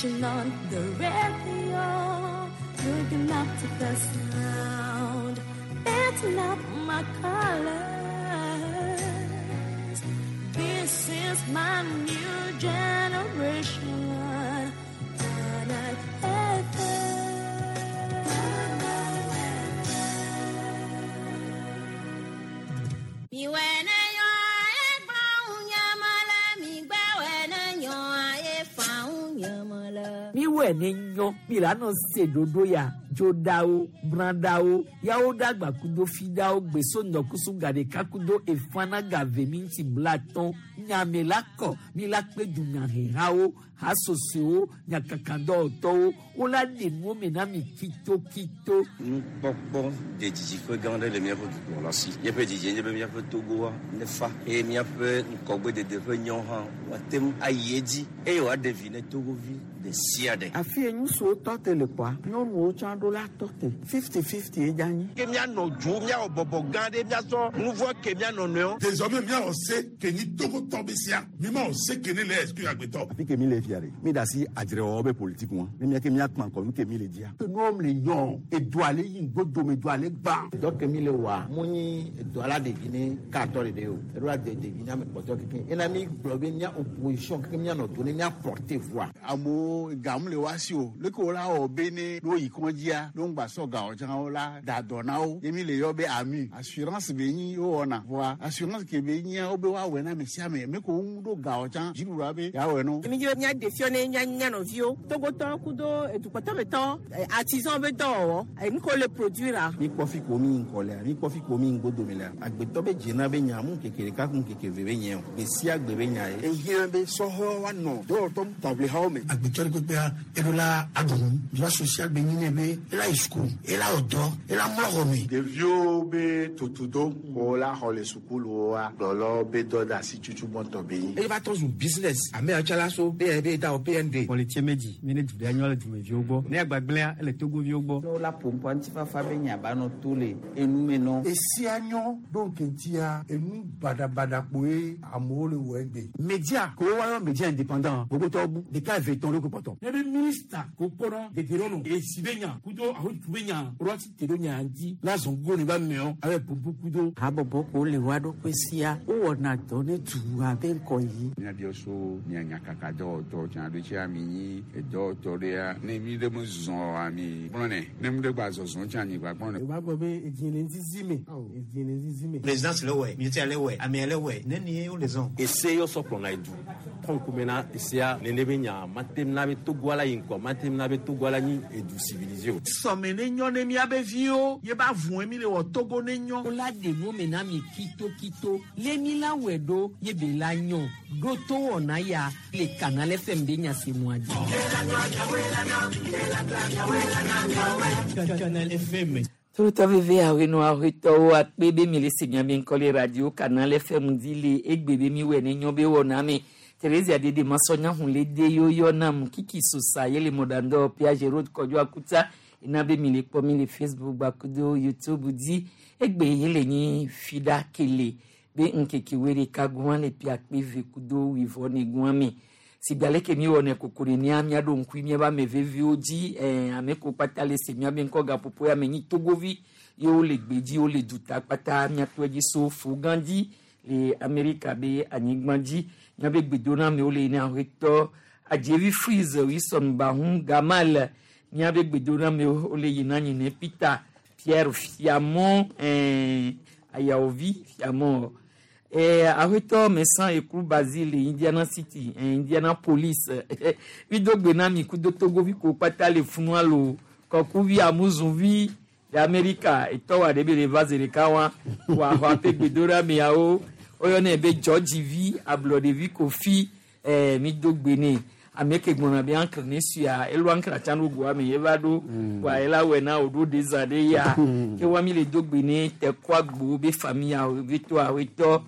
Switching on the radio, looking up to the sound, dancing up my colors. This is my new generation. Planet FM. Miwɛ ne nyɔ mi la nɔ se ɖoɖo ya dzoɖawo brãɖawo yawo ɖagba kudo fiɖawo gbeso ŋdɔkusu gaɖeka kudo efana gave mi ŋuti blatɔn nyame la kɔ mi la kpe dunyahehawo hasosowo nyakakadɔwɔtɔwo wola ɖe nuwo me na mi kitokito. Nukpɔkpɔ de didiƒe gã aɖe le míaƒe dukplɔla si. Míaƒe didie nye be míaƒe Togoa nefa eye míaƒe ŋgɔgbedede ƒe nyɔ hã woate ŋu ayi edzi eye wòaɖe vi ne Togovi ɖe sia ɖe. Afi ye ŋutsuwo tɔ te le kpɔa, nyɔnuwo tsã ɖo la tɔ te. 50-50 ye dze anyi. Ke míanɔ dzo, míawɔ bɔbɔ gã ɖe, míasɔ nu vɔ̃ ke mía nɔnɔewo. Désormais míawɔ se ke nyi Togotɔ be sia. Mímawɔ se ke ne le exclure agbetɔ. Afi ke mi le fia ɖe, mi da asi adzrewɔwɔ be politique ŋua, ne mía ke míakpã ŋkɔ nu ke mi le dzia. Ke nuwo le nyɔ, edua le yi ŋgodome, edua le gbã. Dɔ ke mi le wɔa, mu nyi edua la ɖevi ne katɔ ɖeɖe o. Eɖo la de ɖevi ne ame kpɔtɔ keke. Ena mi gblɔ be mía opposition keke míanɔ do ne mía porter voix. Amewo gamu le woa si o. Leke wola wɔ be ne ne woyi kɔdzia, ne wogba sɔ gawo tsã wola da dɔ na wo. Ye mi le yɔ be AMU. Assurance be nyi wowɔna. Vɔa assurance ke be nyia wobe woawɔe na ame sia ame. Me ko ŋu ɖo gawo tsã dziɖuɖua be yeawɔe no. Mi dzi be míaɖe fiɔ ne mía mía nɔviwo. Togotɔwo kudo edukpɔtɔmetɔwo, artisan be dɔwɔwɔ, enu ke wole produire. Mi kpɔ fi ko mi ŋkɔ lea, mi kpɔ fi ko mi ŋgodome lea. Agbetɔ be dzena be nya mu ŋkeke ɖeka ku ŋkeke eve be nye o. Gbe sia gbe be nya ye. Ehiã be sɔhɛwo woanɔ dɔwɔtɔ taʋlihawo me. Agbetɔ ɖe kpekpea, eɖo la aɖu nu. Droit social be nyi nɛ be ela yi suku, ela wɔ dɔ, ela mlɔ xɔ me. Ɖeviwo be tutudo ko la xɔ le sukuluwoa, kplɔlawo be dɔ de asi tutu gbɔtɔ be nyi. Eye va trɔ zu business. Ame yawo tsã la so be da wɔ PND. Kpɔlitse medzi mi ne du ɖe nyɔ le dumeviwo gbɔ. Ne agbagblẽa ele Togoviwo gbɔ. Ne wola ƒo ŋkɔ ŋutifafa be nya ba nɔ to le enume nɔ. Esia nyɔ ɖo ŋkeŋtia enu baɖabaɖa kpoe amewo le wɔ egbe. Media ko woayɔ media indépendant gbogbotɔwo bu ɖeka eve tɔn ɖo ko kpɔtɔ. Ne be minista ko kpɔnɔ dedenɔnɔ esi be nya kudo ahotu be nya ɖo asi te ɖo nya ŋuti la zɔn go ne ba meɔ abe ƒoƒu kudo. Habɔbɔ ko le woa ɖokui sia wowɔna dɔ ne dua be ŋkɔ yi. Míabiɔ so mía nyakaka dɔwɔtɔ tsã ɖo tsia mi nyi edɔwɔtɔ ɖea ne mi ɖe me zɔ ami gblɔ nɛ ne mi ɖe gba zɔzɔ tsã mi gba gblɔ nɛ. O b'a gbɔ be edzi le ŋzizi me edzi le ŋzizi me. Présidence le wɛ, militaire le wɛ, amea le wɛ, ne ni wo le zɔn. Ese yɔ sɔ kplɔna edu tɔn na esea nene be nya matem na be Togo la yi ŋkɔ matem na be Togo la nyi edu civilisé o. Sɔme ne nyɔ ne míabe viwo ye ba vɔe mi le wɔ Togo ne nyɔ. Wola ɖe nuwo me na mi kitokito le mi la wɔe ɖo ye be la nyɔ ɖo to wɔna ya le Canal FM be nya se mua dzi. Canal FM. Torotɔ veve awenɔ awetɔwo akpe be mi le se miabe ŋkɔ le radio Canal FM dzi le egbe be mi wɔe ne nyɔ be wɔna me. Theresia Dede Masɔnya hun le de yoyɔ nam Kiki Sosa ye le mɔɖaŋdɔ Piaget Road Kɔdzo Akuta ena be mi le kpɔ mi le Facebook gbakudo YouTube dzi egbe ye le nyi fiɖa kele be ŋkeke woe ɖeka gɔ̃ le piakpe ve kudo wuivɔ ne gɔ̃ me. Si gbe aleke mi wɔnɛ koko ɖe mía míaɖo ŋkui míaƒe ame veviwo dzi ame ko kpata le se míabe ŋkɔ gaƒoƒo ya me nyi Togovi ye wole gbedzi wole duta kpata míato edzi so Fugã dzi le Amerika be anyigba dzi míabe gbedoname le ne aƒetɔ Adzevi Freeze Wilson Bahun Gamal míabe gbedoname wole yina nyi ne Peter Pierre Fiamɔ Ayaovi Fiamɔ. Aƒetɔ Messan Ekru Basile Indiana City Indianapolis vidogbe na mi kudo Togovi ko kpata le funua lo kɔkuvi amuzuvi le Amerika etɔ wa ɖe be le va zi ɖeka wa wa xɔ aƒe gbedoɖameawo woyɔnɛ be George ablɔɖevi Kofi mi do gbe nɛ ame ke gblɔna be ankle ne sua elo ankle tsã ɖo goa me eva ɖo wa ela wɔe na wòɖo ɖe zã ɖe ya ke wa mi le do gbe ne tɛkɔ agbo be famille be to awetɔ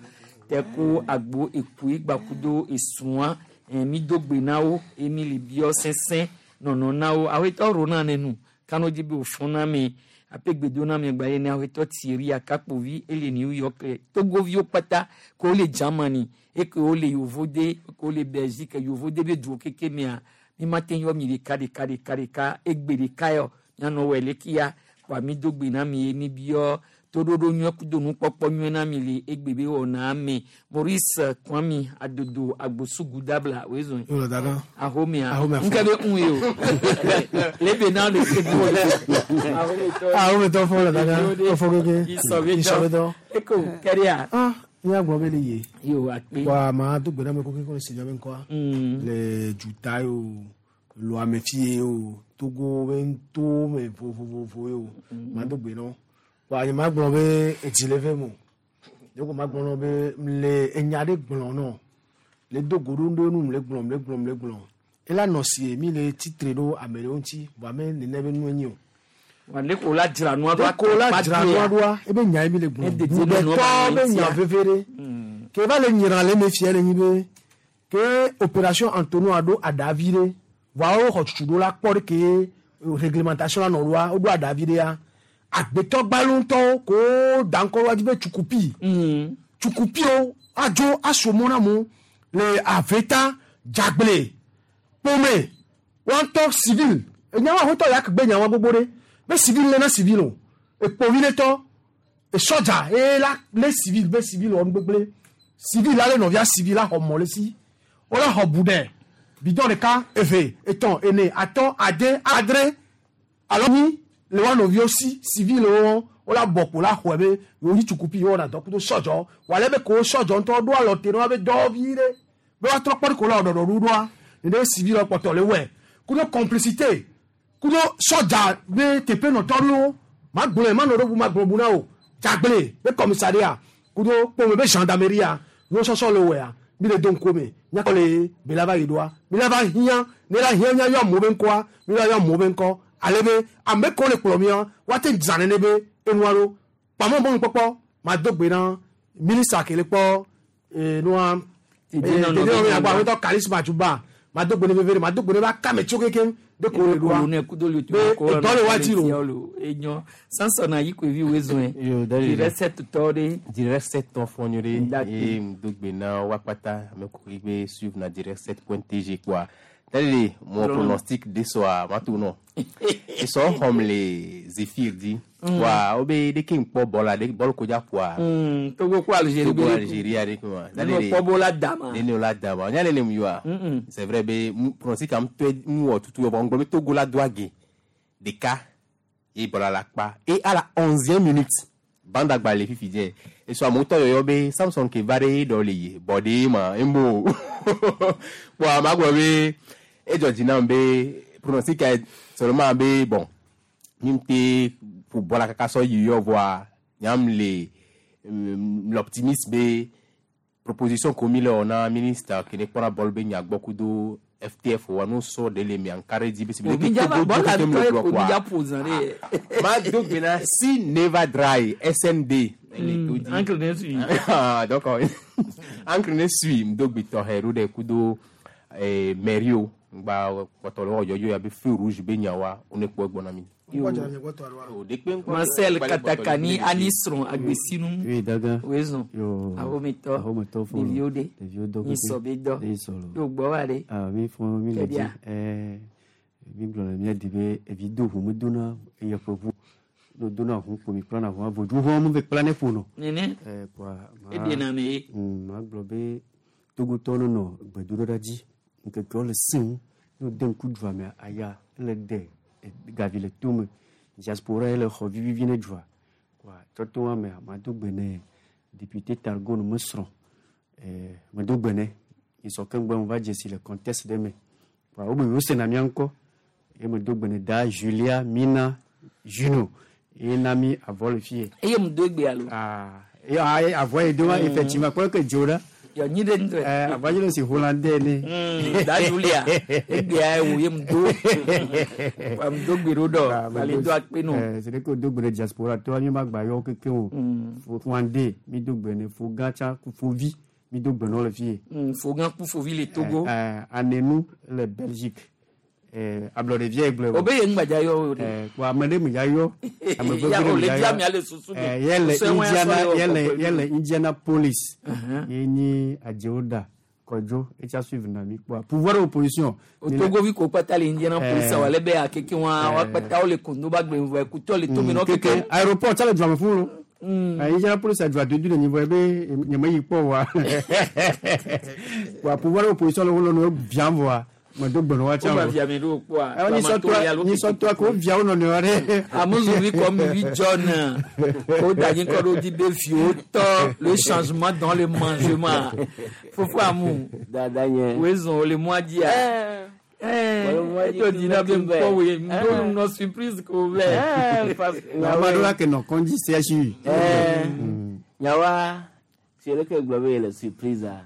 tɛko agbo ekui gbakudo esua mi do gbe na wo eye mi le biɔ sesẽ nɔnɔ na wo awetɔ rona ne nu kano dzi be wòfɔ na me aƒe gbedoname gba ye ne awetɔ Thierry Akakpovi ele New York le Togoviwo kpata ke wole Germany eke wole Yovode eke wole Belgique Yovode be duwo keke mea Mi ma te yɔ mi ɖeka ɖeka ɖeka ɖeka egbe ɖeka yɔ mianɔ wɔ le kia kpa mi do gbe na mi ye mi biɔ toɖoɖo nyuie kudo nukpɔkpɔ nyuie na mi le egbe be wɔna me. Maurice Kwami Adodo Agbosugu Dabla wezɔn. Yɔrɔ dada. Ahomea. Ahomea Nke be un ye o. Lebe na le se bu le. Ahometɔ fɔ le dada. Efɔ keke. Isɔbetɔ. Isɔbetɔ. Eko kɛria. Ah, ní agbɔn bɛ le ye. Yo akpe. Wa maa do gbɛdá mi ko kíkọ́ si jaabi nkɔ. Le juta ye o, lo ame fi ye o, Togo bɛ to mɛ vovovovo ye o. Maa do gbɛ nɔ. Wa nye ma gblɔ be etsi le fɛ mo. Ne ko ma gblɔ nɔ be le enya ɖe gblɔ nɔ. Le do go ɖo ɖo nu le gblɔ le gblɔ le gblɔ. Ela nɔ si ye mi le tsitre ɖo ame ɖewo ŋuti vɔ ame nene be nu enyi o. Wa ne ko la dzra nua ɖoa. Ko la dzra nua ɖoa ebe nya ye mi le gblɔ. Bugbetɔ be nya veve ɖe. Ke va le nyra le me fia le nyi be ke opération Antonio ɖo aɖavi ɖe. Vɔa wo xɔ tutu ɖo la kpɔ ɖe ke réglementation la nɔ ɖoa woɖo aɖavi ɖea. Agbetɔ gbalẽtɔwo ko da ŋkɔ ɖoa dzi be tsukupi. Tsukupiwo adzo aso mɔ na mo le aveta dzagble kpome woatɔ civil. Enyawo ahotɔ ya kegbe nyawo gbogbo ɖe. Be civil le na civil o. Ekpovi le tɔ. Esɔdza eye la le civil be civil wɔ nugbegble. Civil la le nɔvia civil la xɔ mɔ le si. Wole xɔ bu ɖe. Bidɔn ɖeka, eve, etɔ̃, ene, atɔ̃, ade, adre. Alo nyi le wa nɔviwo si civil wo wola bɔ kpo la xɔe be yewo nyi tsukupi yewo wɔna dɔ kudo sɔdzɔ. Wòale be ko sɔdzɔ ŋutɔ ɖo alɔ te na woabe dɔwɔvi ɖe. Be woatrɔ kpɔ ɖe ko la wɔ ɖɔɖɔɖo ɖoa. Nene civil kpɔtɔ le wɔe. Kudo complicité. Kudo sɔdza be teƒe nɔtɔ ɖewo. Magblɔe manɔ ɖo bu magblɔ bu na o. Dzagble be commissariat. Kudo kpome be gendarmerie nuwo sɔsɔ le wɔea. Mi le do ŋkume me. Míakɔ le be la va yi ɖoa. Mi la va hiã. Ne la hiã míayɔ amewo be ŋkɔa. Mi la yɔ amewo be ŋkɔ. Ale be ame kewo le kplɔ mía woate zã nene be enua ɖo. Kpamɔ mɔnukpɔkpɔ mado gbe na minista ke le kpɔ nua. Tedinɔnɔ be Tedinɔnɔ nya be agbɔ Karisma Dzuba. Mado gbe ne veve ɖe mado gbe ne be akame tso kekeŋ de ko le ɖoa. Kolonel kudo le Be edɔ le wa dzi lo. Enyo Samson ayi koevi wezɔn. Yo, daddy. Direct tɔ ɖe. Direct 7 tɔ fɔ nyuie Ndakpe. ɖe eye ŋdo gbe na wa kpata ame kokoe be suivre na direct 7.tg quoi. Daddy, mon Lɔlɔ. pronostic de soir ma to nɔ. Esɔ xɔm le Zephyr di. Wa wo be ɖeke ŋkpɔ bɔl la ɖe bɔl ko dza ƒoa. Togo ko Algérie Togo be Algérie ɖe kuma. Ne kpɔ bo la dama. Ne ne la dama. Nya ne ne mu yoa. Mm-mm. C'est vrai be pronostic am tɔe mu wɔ tutu vɔ ŋgblɔ be Togo la do age ɖeka ye bɔl la kpa et à la 11e minute bande agba le fifi dze esɔ amewo tɔ yɔyɔ be Samson ke va ɖe ɖɔ le ye bɔ ɖe ma embo bon ama gblɔ be edzɔ dzi nam be pronostic ya seulement be bon mi te ƒo bɔl la kaka sɔ yi yɔ vɔa nyam le l'optimisme be proposition komi le wɔ na ministre ke ne kpɔna bɔl be nya gbɔ kudo FTF wa n'o sɔ de le mi ankara dzi be si Omi dza Togo bɔl la kekem le tɔ ye gblɔ ko mi quoi. dza ƒo zã ɖe. Ma do gbe na si never dry SND. Encre ne sui. Ah, donc encre ne sui ŋdo gbe tɔxɛ ɖo ɖe kudo mɛrio ŋgba kpɔtɔ le wɔ yɔyɔ ya be feu rouge be nyawa wo ne kpɔ egbɔ na mi. Marcel Katakani Anisron Agbesinu. Oui, Daga. Wezɔn. Yo. Ahometɔ. Ahometɔ fɔ. Ɖeviwo ɖe. Ɖeviwo dɔ. Nyisɔ be dɔ. Nyisɔ lo. Yo gbɔ wa ɖe. Ah, mi fɔ mi le dzi. Kɛdia. Ɛɛ, mi gblɔ le mía di be evi do ʋu mi dona eye ƒe ʋu. No dona ʋu kpo mi kplana ʋua vodu ʋua mi ve kpla ne ƒo nɔ. Nene. Ɛɛ, kpoa. Eɖena me ye. Ma gblɔ be Togotɔwo nɔ gbedoɖoɖa dzi. Ŋkekewo le sẽŋu. Ne wode ŋku dua mea, aya ele de gavi le tome. Diaspora ye le xɔ vivivi ne dua. Kpoa tsɔtɔ wa mea, mado gbe ne député Targone me srɔ̃. Ɛɛ, medo gbe ne. Nyisɔ ke ŋgbe me va dze si le contexte ɖe me. Kpoa wo be yewo sena mía ŋkɔ. Ye medo gbe ne da Julia Mina Juno. Ye na mi avɔ le fie. Eye mu do egbe alo. Ah, ye avɔ yi do ma effectivement kpɔ ke dzo ɖa. Yɔ nyi ɖe ŋutɔ. Ɛɛ, avɔ yi le si hollandais ne. Da Julia. Egbea wo ye mu do. Wa mu do gbe ɖo ɖɔ. Ale do akpe nɔ. Ɛɛ, c'est que do gbe ne diaspora tɔ mi ma gba yɔ keke o. Fo mi do gbe ne fo gã tsã ku fovi mi do gbe nɔ le fie. Fogã ku fovi le Togo. Ɛɛ, Anenu le Belgique. Ɛɛ, ablɔɖevia ye gblɔe. O be ye ŋgbadza yɔ o de. Ɛɛ, kpo ame ɖe me ya yɔ. Ame Ya vevi ɖe o me le ya dia yɔ. mia le susu me. Ɛɛ, yɛ le Sɛ wɔn Indiana asɔ yɔ yɛ le kɔkɔe. yɛ le Indianapolis. Ye nyi adzewo da. Kɔdzo etsa suivre na mi kpɔa pouvoir opposition. Togovi ko kpata le Indianapolis wa le be akeke wa wa kpata wo le kondo ba gbe vɔ ekutɔ le tome nɔ keke. Aéroport tsa le dua me fún lo. Indianapolis dua dodo le nyivɔ ebe nyeme yi kpɔ wa. Wa pouvoir opposition le wo nɔ viam vɔa. Me do gbe nɔ wa tsa o. Wo via me ɖo kpɔa. Ɛ nisɔtɔa ko via wo nɔnɔewo ɖe. Amuzuvi comme vi John o da nyi kɔ ɖo di be viwo tɔ le changement dans le mangement. Fofo amu. Dada nye. Wo zɔn o le mɔa dzia. Eto di na be ŋkpɔ woe ŋdo nɔ surprise ko vɛ. Ame aɖewo la ke nɔ kɔndzi CHU. Nyawa si leke gblɔ be le surprise a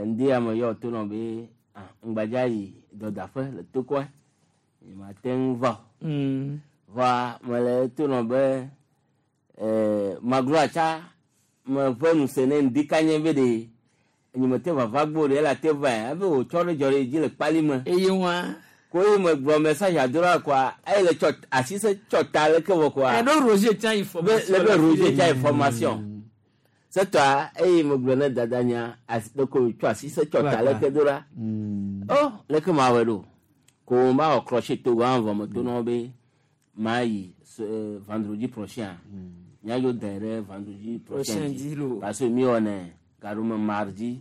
ŋdi ame yɔ to nɔ be ŋgbadza yi dɔdaƒe le tokɔe nyemate ŋu va o. Va mele to nɔ be magloa tsa meƒe nu se ne ŋdi kanye be ɖe nyemete vava gbɔ ɖe ela te va ebe wòtsɔ ɖe dzɔ ɖe dzi le kpali me. Eye wa. Ko ye me gblɔ message adola koa eye le tsɔ asi se tsɔ ta leke vɔ koa. Ɛɖo Roger tsa information. Le be Roger tsa information. Setɔa eye me gblɔ ne dada nya asi leke tsɔ asi se tsɔ ta leke do la. Oh leke ma wɔe ɖo. Ko ma wɔ crochet Togo hã vɔ me to nɔ be ma yi vendredi prochain. Míadzo da ɖe vendredi prochain dzi. Parce que mi wɔnɛ gaɖome mardi,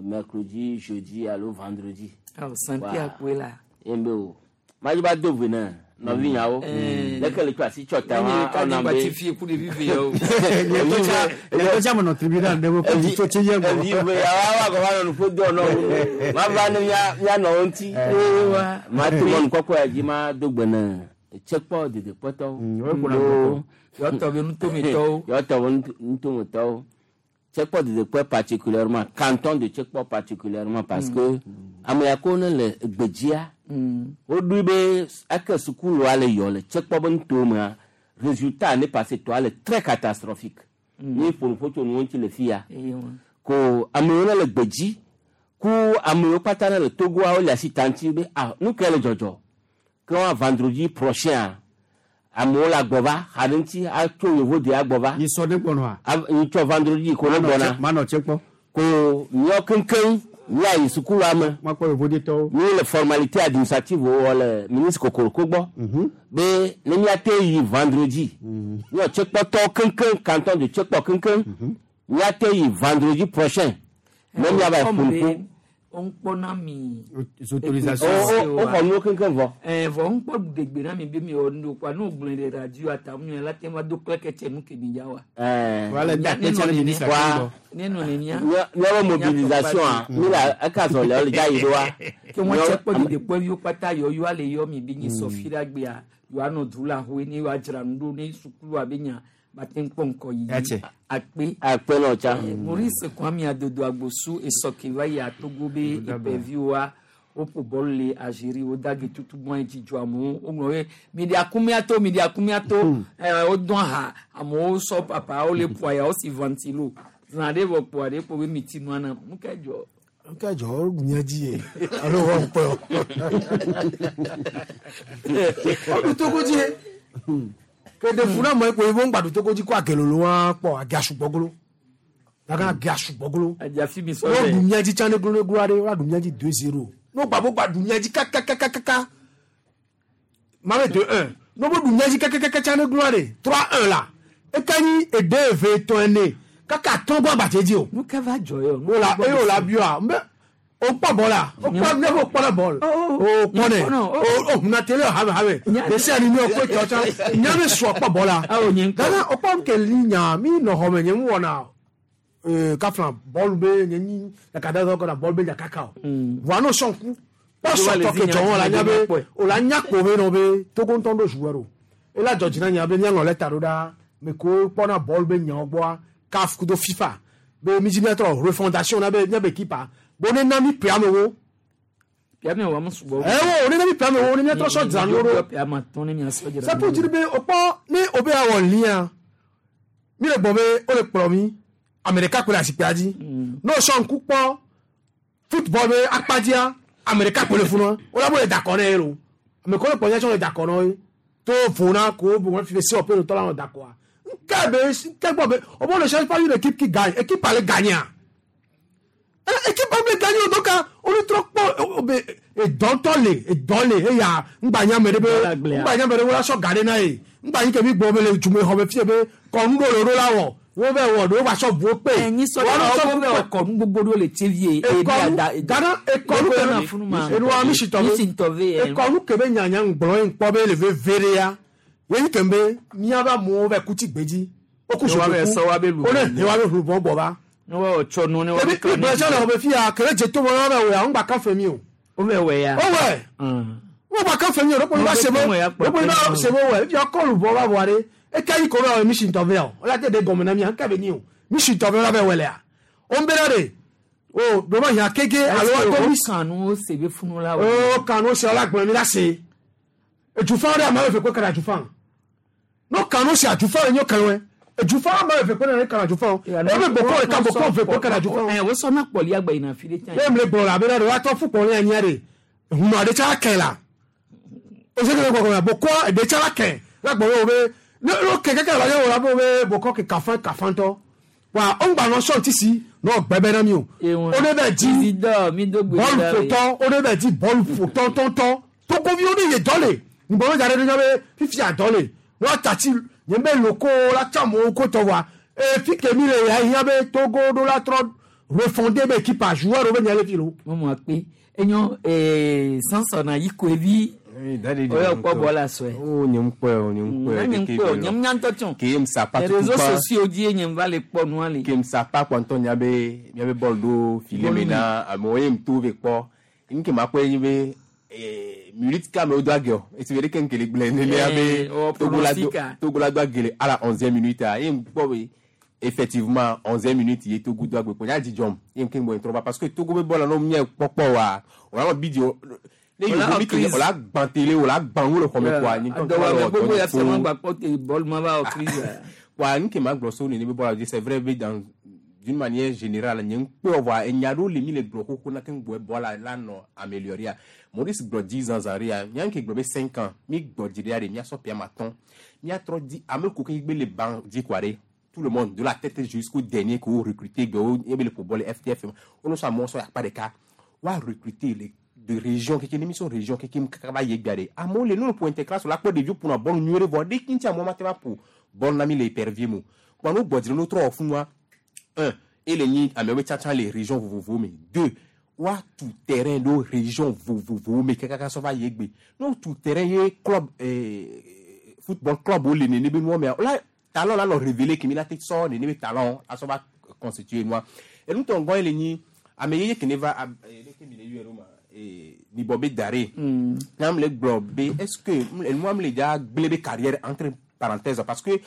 mercredi, jeudi alo vendredi. Awo Saint-Pierre koe la. Ye be o. Madzi ba do ve ne nɔvinyawo. Leke le tsɔ asi tsɔ ta wa ɔna be. Nye fi ku ɖevi ve yawo. Nye tsa menɔ tribunal ɖe wo kɔ tso tsi ye gbɔ. Evi ve yawo awa gɔma nɔ nuƒo do nɔ wo. Ma va ne mia mia nɔ wo ŋuti. Ma to mɔnu kɔkɔ ya dzi ma do gbe ne tsekpɔ dedekpɔtɔwo. Yɔtɔ be nutometɔwo. Yɔtɔ be nutometɔwo. Tsekpɔ dedekpɔ particulièrement canton de Tsekpɔ particulièrement parce que ame ya ko ne le gbedzia. Woɖoe be eke sukulua le yɔ le Tsekpɔ be nutomea résultat ne passé toa le très catastrophique. Ni ƒo nuƒo tso nuwo ŋuti le fia. Ko amewo ne le gbedzi ku amewo katã ne le Togoa wole asi ta ŋuti be ah nu ke le dzɔdzɔ. Ke wa vendredi prochain amewo le agbɔ va xa ɖe ŋuti atso yevo de agbɔ va. Nyisɔ ne gbɔnɔa. Nyitsɔ vendredi ko ne gbɔna. Manɔ Tsekpɔ. Ko miɔ keŋkeŋ miayi sukulua me. Makpɔ yevodetɔwo. Mi le formalité administrative wɔ le ministre Kokoroko gbɔ. Be ne miate yi vendredi. Miɔ Tsekpɔtɔwo keŋkeŋ canton de Tsekpɔ keŋkeŋ. Miate yi vendredi prochain. Ne miava yi ƒo nuƒo. On kpɔna mi. Autorisation. O xɔ nuwo keŋkeŋ vɔ. Vɔ n kpɔ ɖegbe na mi be mi wɔ nu kpa n'o gblɔe ɖe radio ata mu la te va do klɛkɛtsɛ nu ke mi ya wa. Wala da kpɛtsɛ le ministre wa. Ne nɔ nenia. Miawo mobilisation a mi la eka zɔ le le dza yi ɖo wa. Ke wɔn tse kpɔ ɖeɖe kpɔ viwo kpata yɔ yɔ ale yɔ mi be nyi sɔfi ɖe agbea yɔ anɔ du la hoe ne yɔ adzra nu ɖo ne sukulu abe nya bate ŋkpɔ ŋkɔ yi. Akpe. Akpe nɔ tsa. Maurice Kwame Adodo Agbosu esɔke va yi Togo be epeviwoa woƒo bɔlu le Algérie wodage tutu gbɔn dzi dzɔ amewo woŋlɔ be mi ɖe akumia to mi ɖe akumia to wodɔn ha amewo sɔ papa wole ƒo aya wosi ventilo zã ɖe vɔ kpoa ɖe kpo be mi ti nua na nu ka dzɔ. Nu ka dzɔ woɖu mía dzi ye alo wɔ ŋkpɛ o. Woɖu Togo dzi ye. Kede funa mɔ ekpo ibo ŋgba ɖu Togo dzi ko agelolo wa kpɔ age asugbɔgolo. Daga age asugbɔgolo. Adzafi mi sɔ Wo ɖu mía dzi tsã ne glo glo aɖe wa ɖu mía dzi 2-0. No gba bo gba ɖu mía dzi kakakakaka. Ma be 2-1. No bo ɖu mía dzi kakakaka tsã ne glo aɖe 3-1 la. Eka nyi ede eve etɔ̃ ene. Kaka tɔn gbɔ agbatse dzi o. Nu ka va dzɔ yɔ? Wo la eye wo la bioa. Mbe o kpɔ bɔl la. O kpɔ ne o kpɔ le bɔl. O kpɔ ne. O huna tele habe habe. Desi ani mi o kpɔ tsɔ tsɔ. Nya mi sɔ kpɔ bɔl la. Gana o kpɔ ke li nya mi nɔ xɔ me nye mu wɔna. Kafla bɔl be nye nyi kakada dɔ kɔna bɔl be nya kaka o. Voa no sɔn ku. Kpɔ sɔtɔ ke dzɔ wɔn la nya be o la nya ko be nɔ be Togo ŋutɔ ɖo joueur o. Ela dzɔ dzi na nya be miaŋlɔ lɛta ɖo ɖa. Me ko kpɔna bɔl be nyawo gbɔa. CAF kudo FIFA be mi dzi miatrɔ refondation na be miabe équipe a. Bo ne na mi ƒe amewo. Ƒe amewo ame sugbɔ. Ewo ne na mi ƒe amewo ne miatrɔ sɔ dzra nu ɖo. Ƒe ame atɔ̃ ne miasɔ dzra C'est pour dire be o kpɔ ne o be awɔ lia mi le gbɔ be o le kplɔ mi ame ɖeka koe le asikpea dzi. Ne o sɔ ŋku kpɔ football be akpadzia ame ɖeka koe le funua o la bo le da kɔ ne ye lo. Ame ko le kplɔ mia tsɔ le da kɔ na ye. To vo na ko bo wɔn fi be se wɔƒe nɔtɔ la nɔ da kɔa. Nke be nke gbɔ be o bo ne cherche pas une équipe qui gagne équipe ale gagner. nyi o donc wole trɔ kpɔ be edɔntɔ le edɔ le eya ŋgba nya me ɖe be ŋgba nya me ɖe wola sɔ ga ɖe na ye ŋgba nyi ke mi gbɔ be le dzume xɔ be fie be kɔnu ɖo le ɖo la wɔ wo bɛ wɔ ɖewo va sɔ buwo kpe. Nyi sɔ ɖe wo bɛ wɔ kɔnu gbogbo ɖewo le Tsevie. Ekɔnu gana ekɔnu ke enua mi si tɔ be ekɔnu ke be nyanya ŋgblɔ ye ŋkpɔ be le veve ɖe ya ye nyi ke be miabe amewo bɛ kuti gbedzi woku zodoku wo ne he wa be hlubɔ gbɔ va. Ne wa tsɔ nu ne wa be kan. Ebi gbɛsɛ le xɔme fia kele dze to me wa bɛ wɔ ya ŋgba kan fɛ mi o. Wo bɛ wɔ ya. Wo wɛ. Wo gba kan fɛ mi o ɖekpo mi va se be ɖekpo mi va se be wɔ efia kɔ lubɔ va vɔa ɖe eka yi ko bɛ wɔ misi ŋutɔ vɛ o la te ɖe gɔme na mi ŋka be nyi o misi ŋutɔ vɛ la bɛ wɔ lea o ŋbɛ ɖe ɖe o ɖo ma hiã keke alo wa to misi. O kan nu se be funu la wɔ. O kan nu se la gblɔ mi la se edzufa ɖe ame eve kpe kana dzufa no kan nu se adzufa le nyo kan wɛ edzufa ame eve kpe na kana dzufa o ebe bokɔ ɖeka bokɔ eve kpe kana dzufa o. Ɛ wosɔ na kpɔli agba yina fi ɖe tsa. Ne mle gblɔ la abe ɖe woatɔ fu kpɔli anyia ɖe hunɔ ɖe tsa kɛ la o se kele gbɔgbɔ bokɔ ɖe tsa la kɛ la gbɔ wo be ne no kɛ kɛkɛ la ye wo la be wo be bokɔ ke kafa kafa ŋutɔ wa o ŋgba nɔ sɔn tisi n'o gbɛbɛ na mi o o ne bɛ di bɔlu ƒotɔ o ne bɛ di bɔlu ƒotɔ tɔntɔn togoviwo ne ye dɔ le ŋgbɔn dza ɖe ɖe be fifia dɔ le wa tati nye be loko la tsa amewo ko tɔ wa e fi ke mi le ya hiã be Togo ɖo la trɔ refonder be équipe a joueur wo be nya le fi lo. Mɔmɔ akpe enyo ee Samson ayi koevi oyɔ kpɔ bɔla sɔe. O nye ŋkpɔe o nye ŋkpɔe. Nye ŋkpɔe o nye ŋnya ŋutɔ tsɔ. Ke msa pa tutu réseaux sociaux dzi nye va le kpɔ nua le. Ke msa pa kpɔ ŋutɔ nya be miabe bɔl ɖo file me na amewo ye ŋto ve kpɔ. Nke ma kpɔe nyi be minute ka amewo do age o esi be ɖeke ŋke le gblẽ nenea be Togo la do age le à la 11e minute a ye ŋkpɔ be effectivement 11e minute ye Togo do agbe kpɔ nya dzidzɔm ye ŋke ŋgbɔ ŋtrɔ va parce que Togo be bɔl la no mía kpɔkpɔ wa wòla nɔ bi di ne yovo mi ke wòla gbã télé wòla gbã ŋu le xɔme kɔa nye ŋutɔ ŋutɔ wɔ gbogbo ya fia ma gba kpɔ te bɔl ma va wɔ crise kɔa ŋke ma gblɔ so nene be bɔl la dzi c'est vrai be dans d'une manière générale nye ŋkpɔe vɔa enya ɖewo le mi le gblɔ xoxo na ke ŋgbɔe bɔl la la nɔ améliorer Maurice gblɔ 10 ans zã ɖea mía ŋke gblɔ be 5 ans mi gbɔ dzi ɖea ɖe míasɔ ƒea ma tɔn míatrɔ di ame ko ke gbe le ban dzi kɔa ɖe tout le monde de la tête jusqu'au dernier que wo recruter gbe wo ebe le ƒo bɔl le FTF wo no sɔ amewo sɔ akpa ɖeka wa recruter le de région keke ne mi sɔ région keke kaka va yi egbea ɖe amewo le ne ƒo interclasse la kpɔ ɖeviwo ƒona bɔl nyuie ɖe vɔ ɖe ŋuti amewo ma te va ƒo bɔl na mi le épervier mo kpɔ no gbɔ dzi ɖe no trɔ wɔ funua un ele nyi amewo be tsatsa le région vovovowo me deux woatu terrain ɖo région vovovowo me kakaka sɔ va yi egbe ne wotu terrain ye club football club wo le nene be nuwo mea la talent la nɔ révélé kemi la te sɔ nene be talent asɔ va constituer nua enutɔ ŋgɔ ye le nyi ame yeye ke ne va leke mi le yɔe ɖo ma nibɔ be da ɖe ne le gblɔ be est ce que enua mi le dza gblẽ be carrière entre parenthèses parce que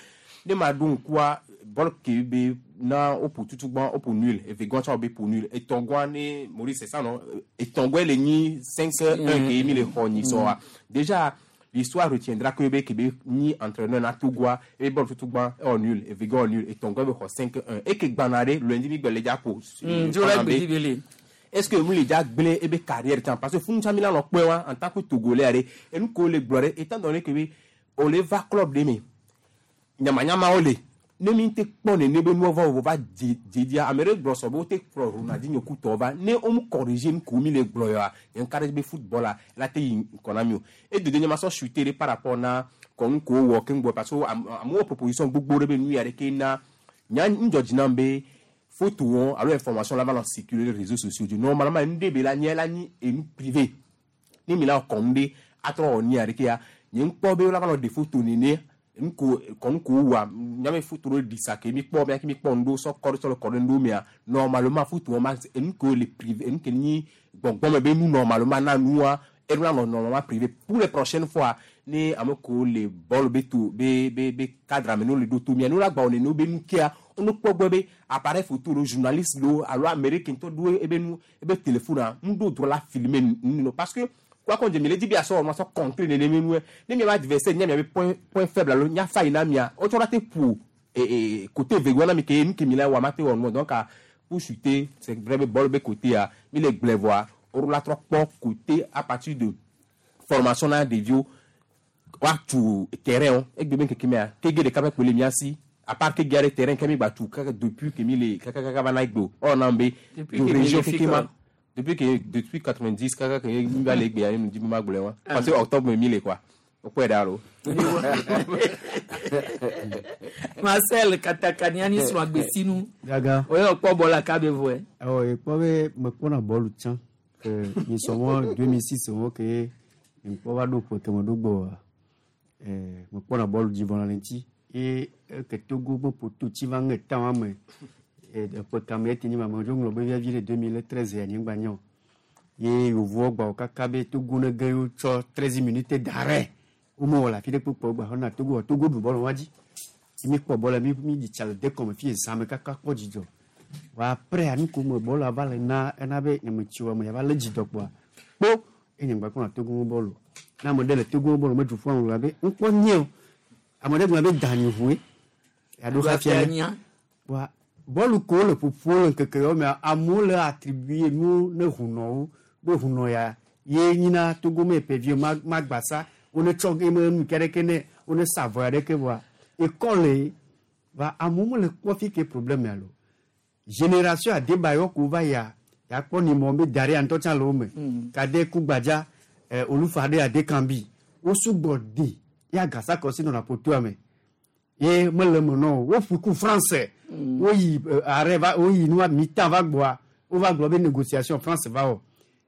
ne ma ɖo ŋkua bɔl ke be na woƒo tutugbã woƒo nul evegɔa tsã wobe ƒo nul etɔ̃gɔa ne Maurice c'est ça non etɔ̃gɔe le nyi 5-1 ke mi le xɔ nyi sɔa déjà l'histoire retiendra que be ke be nyi entraîneur na Togoa ebe bɔl tutugbã ewɔ nul evegɔa wɔ nul etɔ̃gɔe be xɔ 5-1 eke gbana ɖe lundi mi gbe le dza ƒo. Est-ce que mu le dza gblẽ ebe carrière tsã parce que funu tsã mi la nɔ kpɔe wa en tant que Togolais ɖe enu ko le gblɔ ɖe étant donné que be o le va club ɖe me nyamanyamawo le ne mi te kpɔ nene be nuwo va va dzedzia ame ɖe gblɔ sɔ be wote kplɔ Ronaldinho kutɔ va ne wo mu corriger nu ko mi le gblɔ yɔa nye ŋka ɖe be football la la te yi ŋkɔ na mi o edodo nye ma sɔ chuter ɖe par rapport na kɔnu ko wɔ keŋ gbɔ parce que amewo proposition gbogbo ɖe be nu ya ɖeke na nya ŋdzɔ dzi nam be photo wɔn alo information la va nɔ circuler les réseaux sociaux dzi normalement nu ɖe be la nye la nyi enu privé ne mi la kɔnu ɖe atrɔ wɔ nia ɖeke ya nye ŋkpɔ be la va nɔ ɖe photo nene nko kɔnu ko wa nyame photo ɖe ɖi sa ke mi kpɔ mia ke mi kpɔ ŋɖo sɔ kɔ ɖe sɔ le kɔ ɖe ŋɖo mea normalement photo wɔn ma enu ko le privé enu ke nyi gbɔngbɔn me be nu normalement na nua enu la nɔ normalement privé pour les prochaines fois ne ame ko le bɔl be to be be be cadre me ne le ɖo to mia ne la gba wɔ nene be nu kea wone kpɔ gbɔ be appareil photo lo journaliste lo alo ame ɖe ke ŋutɔ ɖo ebe nu ebe téléphone a nu ɖo droit la filmer nu parce que quoi qu'on dise mi le di bi asɔ wɔn asɔ contrer nene me nue ne mia ba adversaire nya mia be point faible alo nya fa yina mia wotsɔ la te ƒo côté vegɔ na mi ke nu ke mi la wɔ ma te wɔ nu donc pour chuter c'est vrai be bɔl be côté a mi le gblẽ vɔa woɖo la trɔ kpɔ côté à partir de formation na ɖeviwo woatu terrain wo egbe be ŋkeke mea kege ɖeka ƒe kpe le mia si à part kege aɖe terrain ke mi gba tu kaka depuis ke mi le kakakaka va na egbe o ewɔ nam be do région keke ma. Depuis que depuis 90 kaka ke mi va le gbe ya mi di ma gblɔe wa. Parce que octobre me mi le quoi. O kpɔe ɖa alo. Marcel katakani ani srɔ̃ agbesinu. Gaga. Oye kpɔ bɔla kabe vɔe. Awɔ ekpɔ be mekpɔna bɔlu tsã ke nyisɔmɔ 2006 wo ke ŋkpɔ va ɖo ƒe keme ɖo gbɔa mekpɔna bɔlu dzi vɔna le ŋuti ye eke Togo be ƒoto tsi va ŋe ta wa me eƒe kame ete nyi ma me dzo ŋlɔ be viavi ɖe 2013 ya nyigba nyɔ ye yevuwo gba kaka be Togo ne ge yewo tsɔ 13 minutes d'arrêt womewɔ le afi ɖe kpokpo gba xɔna Togo wɔ Togo ɖu bɔlu wa dzi mi kpɔ bɔlu mi mi dzi tsa le dekɔme fi zã me kaka kpɔ dzidzɔ wa après nu ko me bɔlua va le na ena be nye me tsi wa me ya va le dzidzɔ kpoa kpo enye ŋgba kpɔna Togo bɔlu ne ame ɖe le Togo bɔlu me du ƒu aŋlɔ be ŋkpɔ nye o ame ɖe gblɔ be dani ʋue yaɖo hafia ne wa bɔlu ko le ƒoƒo le ŋkeke yawo mea amewo le attribuer nuwo ne hunɔwo be hunɔ ya ye nyina Togo me ƒe ma magbasa wone tsɔ ge me nu ke ɖeke ne wone sa avɔ ya ɖeke vɔa ekɔle va amewo mele kpɔ fi ke problème ya lo génération Adebayo ko va ya ya kpɔ ni mɔ be da ɖe ŋutɔ tsã le wo me kade kugbadza olufa ɖe adekambi wo sugbɔ de ya gasa kɔsi nɔna ƒotoa me ye mele me nɔ o woƒu ku France woyi arrêt va woyi nua mi-temps va gbɔa wova gblɔ be négociation France va wɔ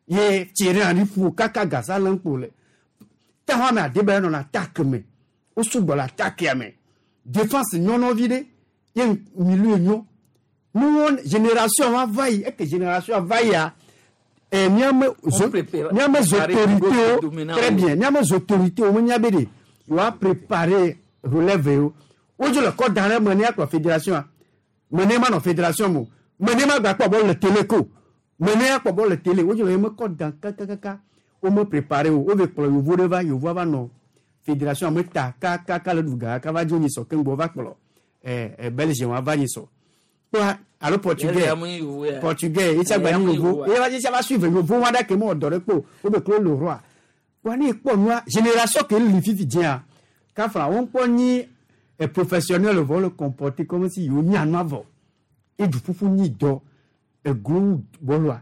ye Thierry Henry ƒu kaka gasa le ŋkpo le ta me Adebayo nɔna attaque me wo sugbɔ le attaque me défense nyɔnɔvi ɖe ye milieu nyɔ nuwo génération wa va yi eke génération va yia miame miame autorités très bien miame autorités wo menya be de yewoa préparer relève wo wodzo le kɔ da ɖe me ne akplɔ fédération a me ne ma nɔ fédération mo me ne ma gba kpɔ bɔlu le télé ko me ne akpɔ bɔlu le télé wodzo le ye me kɔ da kakakaka wo me préparer o wo ve kplɔ yevu ɖe va yevua va nɔ fédération me ta kakaka le ɖu ga kaka va dzo nyisɔ keŋgbɔ va kplɔ Belgium wa va nyisɔ kpla alo portugais portugais etsi agba nyi yovo eye va etsi va suivre yovo wa ɖe ke me wɔ dɔ ɖe kpo wo be klo le roi wa ne kpɔ nua génération ke li fifi dzia kafla wo kpɔ nyi professionnel vɔ le comporter comme si yewo nya nua vɔ edu ƒuƒu nyi dɔ eglo bɔlua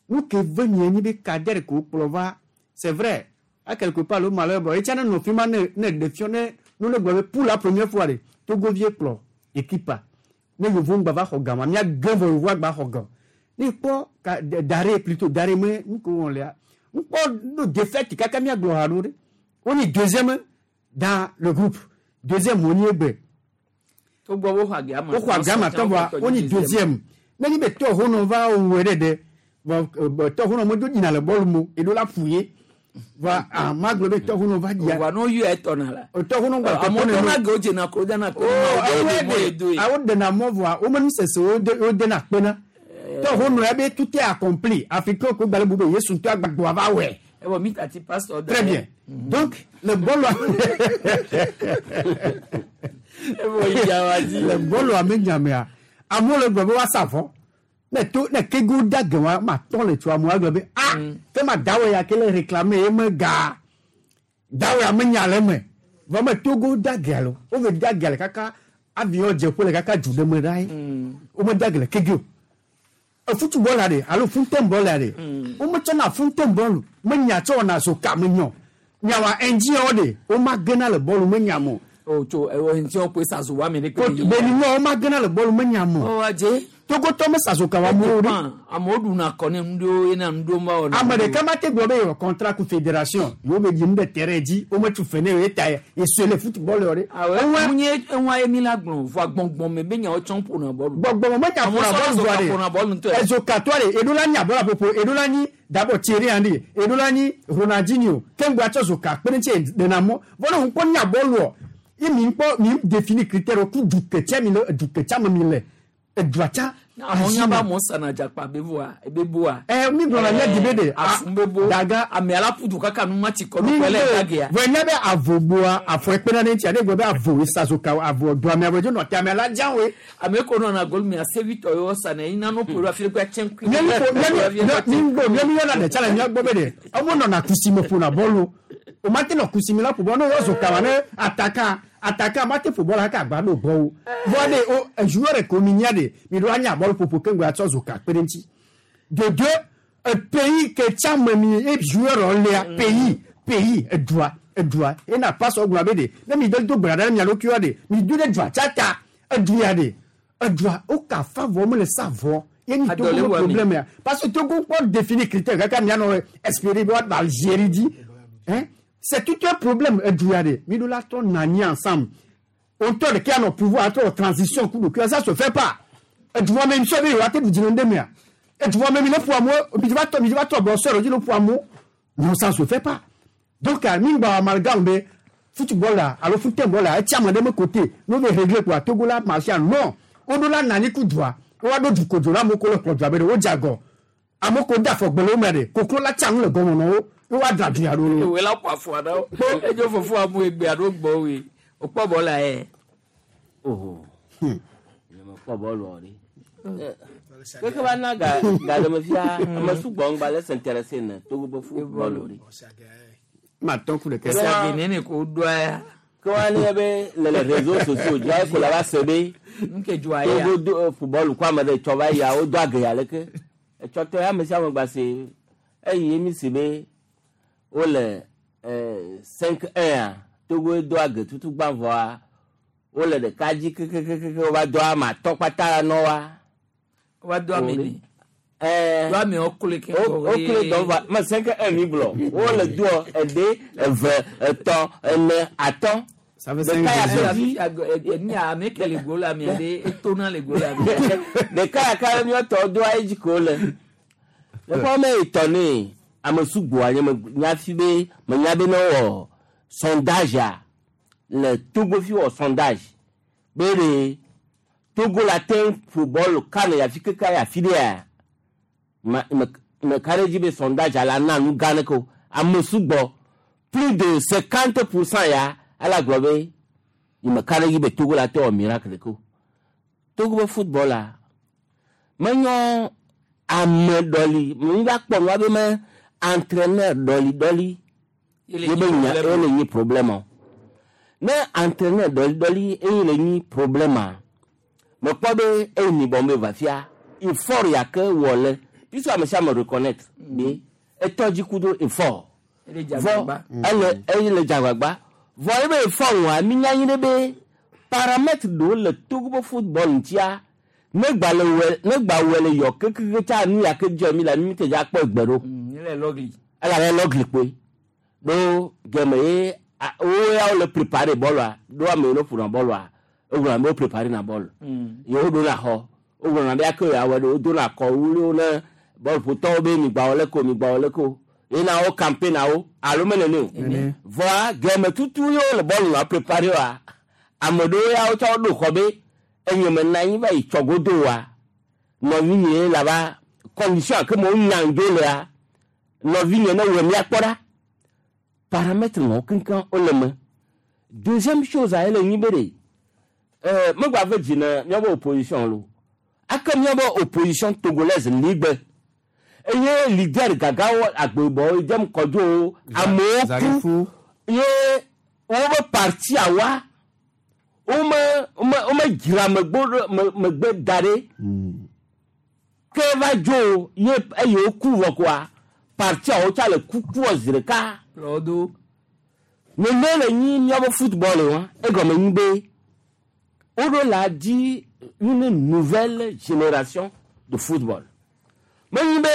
nu ke ve mie nyi be kader ko kplɔ va c'est vrai à quelque part le malheur bɔ etsi ne nɔ fi ma ne ne ɖe fiɔ ne nu ne gblɔ be pour la première fois de Togovie kplɔ équipe a ne yevu ŋgba va xɔ gama mía gé vɔ yevu agba xɔ gã ne kpɔ ka dare plutôt dare me nu ko wɔn lea ŋkpɔ no défaite kaka mía gblɔ ha ɖo ɖe wonyi deuxième dans le groupe deuxième wonyi egbe Togbɔ wo xɔ agama. wo xɔ agama tɔ vɔa wonyi deuxième ne nyi be tɔ honɔ va wɔe ɖe ɖe vɔ tɔ honɔ me do yina le bɔlu mo eɖo la ƒu ye vɔa ah ma gblɔ be tɔ honɔ va dzia Wa n'o yɔ etɔna la. tɔ honɔ gba Amewo tɔna ge wo dzena ko dana ko. awo dena mɔ vɔa wo me nusese wo de wo dena kpena tɔ honɔ ya be tout est accompli africain ko gbalẽ bu be Yesu ŋutɔ agbagbɔ va wɔe. Ewɔ mi tati pasteur. Très bien. Donc, le bɔlu le bɔlu ame nyamea amewo le gblɔ be woasa vɔ ne to ne kego da ge wa ma tɔ le tso amewo agblɔ be ah ke ma dawɔ ya ke le réclamer ye me ga dawɔ ya me nya le me vɔ me Togo da ge alo wo ve da ge le kaka avion dze ƒo le kaka du ɖe me ɖa ye wo me da ge le kege o football la de alo fountain ball la de wo me tsɔna fountain ball me nya tsɔ wɔna zoka me nyɔ nyawa ɛndziawo de wo ma gena le bɔlu me nya mo. O tso ewɔ ŋuti wo koe sazo wa mi de ko. Beni nyɔ wo ma gena le bɔlu me nya mo. O wa dze. Togotɔ me sazo ka wa mo de. Amewo ɖuna kɔ ne nuɖewo yena nuɖewo ma wɔna. Ame ɖeka ma te gblɔ be yewɔ contrat ku fédération yewo be dzi nu ɖe terrain dzi wo me tu fe ne ye ta ye sue le football yɔ de. Awɔ munye eŋua ye mi la gblɔ vɔa gbɔngbɔn me be nyawo tsɔm ƒona bɔlu. Gbɔngbɔn me nya ƒona bɔlu vɔa de. ƒona bɔlu ŋutɔ. Ezokatɔa de eɖo la nya bɔla ƒoƒo eɖo la nyi d'abord Thierry Henry eɖo la nyi Ronaldinho keŋgba tsɔ zoka kpe ɖe ŋuti ɖena mɔ vɔ ne ŋkpɔ nya bɔluɔ ye mi ŋkpɔ mi définir critère ku du ketsia mi le du ketsia me mi le edua tsa. Amewo nya be amewo sana dzakpa be voa ebe boa. Ɛ mi gblɔ na mía di be de. Afu be bo. Daga ame ala ƒu du kaka nu ma ti kɔ nu kɔ lɛ dagea. Vɔ nya be avo boa afɔ ekpena ɖe ŋuti ade gblɔ be avo esazoka avo do amea dzo nɔ te amea la dza woe. Ame ko nɔna gol mia sevitɔ yewo sana yi nano ƒo ɖo afi ɖe kpe atsɛ ŋkui. Mi ŋgbɔ mi yɔna ɖe tsa le mía gbɔ be de ɔmo nɔna kusi me ƒona bɔlu o ma te nɔ kusi me la ƒo bɔlu ne wɔ zoka wa ne ataka ataka ma te ƒo bɔlu kaka agba ɖo gbɔ wo vɔ de o joueur ko mi nya de mi ɖo anya bɔlu ƒoƒo keŋgbe atsɔ zoka kpe ɖe ŋuti de deux Pays ke tsa me mi e joueur lea pays pays edua edua ena pasɔ gblɔ be de ne mi de do gbe ɖa ɖe mia ɖokuiwoa de mi do ɖe dua tsa ta edua de edua wo ka fa vɔ mele sa vɔ ye ni Adɔ le Togo wɔ mi. problème ya parce que Togo kpɔ définir critère kaka mianɔ espérer be woaɖu Algérie dzi hein c'est tout un problème edua de mi ɖo la tɔ nani ensemble on tɔ ɖeke anɔ pouvoir atrɔ transition ku ɖokuiwoa ça se fait pas edua me misɔ be yewoa te ɖu dzi le ŋɖe mea edua me mi ne ƒo amewo mi va tɔ mi va tɔ bɔ sɔrɔ dzi ne ƒo amewo non ça se fait pas donc mi gba amalgame be football la alo football la etsi ame ɖe me côté no be régler quoi Togo la marché non woɖo la nani ku dua woa ɖo du kodzo la amewo ko le kplɔ dua be ɖe wodze agɔ amewo ko de afɔgbe le wo me ɖe koklo la tsa nu le gɔme nɔ wo ye woa dra du ya ɖo lo. Ewe la ƒo afɔ aɖewo. Edzo fofo amu egbe aɖo gbɔ woe. Wokpɔ bɔl la yɛ. Oho. Nye mekpɔ bɔlu o ɖe. Keke va na ga ga le me fia ame sugbɔ ŋgba le s'intéresser ne Togo be football o ɖe. Ma tɔn ku ɖeke. Ɛsɛ agenene ko ɖoa ya. Ke wa ne be le le réseaux sociaux dzi ayi ko la va se be Nke dzoa ya. Togo do football ko ame ɖe tsɔ va yia wodo age ya leke. Etsɔ tɔ ya ame sia ame gba se eyi mi si be wole 5-1 a Togo do age tutu gbã vɔa wole ɖeka dzi kekekeke wova do ame atɔ kpata nɔ wa. Wa do ame ni. Ɛɛ Do ame wokloe ke wo wokloe dɔ va me 5-1 mi gblɔ wole doɔ eɖe eve etɔ̃ ene atɔ̃. Ça fait Ɖeka ya cinq ke dzi. Ni ame ke le go la mia ɖe etona le go la mia. Ɖeka ya ke míatɔ doa edzi ko le. Le ƒe ame etɔ̃ ne ame sugbɔa nye me nya fi be menya be ne wɔ sondage a le Togo fi wɔ sondage be ɖe Togo la te ƒo bɔlu kan ya fi keke ya fi ɖea ma me me ka ɖe dzi be sondage la na nu gã ɖe ko ame sugbɔ plus de 50% ya ala gblɔ be yi me ka ɖe dzi be Togo la te wɔ miracle ko Togo be football la menyɔ ame ɖɔli mi va kpɔ nua be me entraîneur ɖɔli ɖɔli ye be nya ye le nyi problème o ne entraîneur ɖɔli ɖɔli eye le nyi problème a mekpɔ be eyi ni bɔn be va fia effort ya ke wɔ le puisque ame sia ame reconnaître be etɔ dzi ku do effort Ele vɔ dzagbagba. ele eye le dzagbagba vɔ ebe effort wɔa mi nya nyi ɖe be paramètre ɖewo le Togo be football ŋutia ne gba le wɔ ne gba wɔ le yɔ kekeke tsa nu ya ke dzɔ mi la mi te dza kpɔ egbe ɖo Ele lɔgli. elabe lɔgli kpoe ɖo gɛmɛ ye wo ya wole préparé bɔlua ɖo ame yiwo ƒona bɔlua wogblɔna be wo préparé na bɔl ye woɖona xɔ wogblɔna be ake yeawɔ ɖe wodona kɔ wuliwo ne bɔlƒotɔwo be migba wɔ leke o migba wɔ leke o yena wo campaign na wo alo mele ne o vɔa gɛmɛ tutu ye wole bɔlu la préparé wa ame ɖewo ya wotsɔ ɖo xɔ be enye me na anyi va yi tsɔ godo wa nɔvinye la va condition ke me wonya ŋdzo lea nɔvinye ne wɔ mía kpɔ ɖa paramètre ŋɔ keŋkeŋ wole me deuxième chose a ele nyi be ɖe megba ve dzi ne míaƒe opposition lo ake míaƒe opposition togolaise ligbe eye leader gagawo agbebɔwo dem kɔdzowo amewo ku ye wobe parti awa wome wome wome dzra megbo ɖo me megbe da ɖe ke va dzo ye eye woku vɔ koa partia wotsa le kukuɔ zi ɖeka Lɔdo. nene le nyi míaƒe football wa egɔme nyi be woɖo la di une nouvelle génération de football menyi be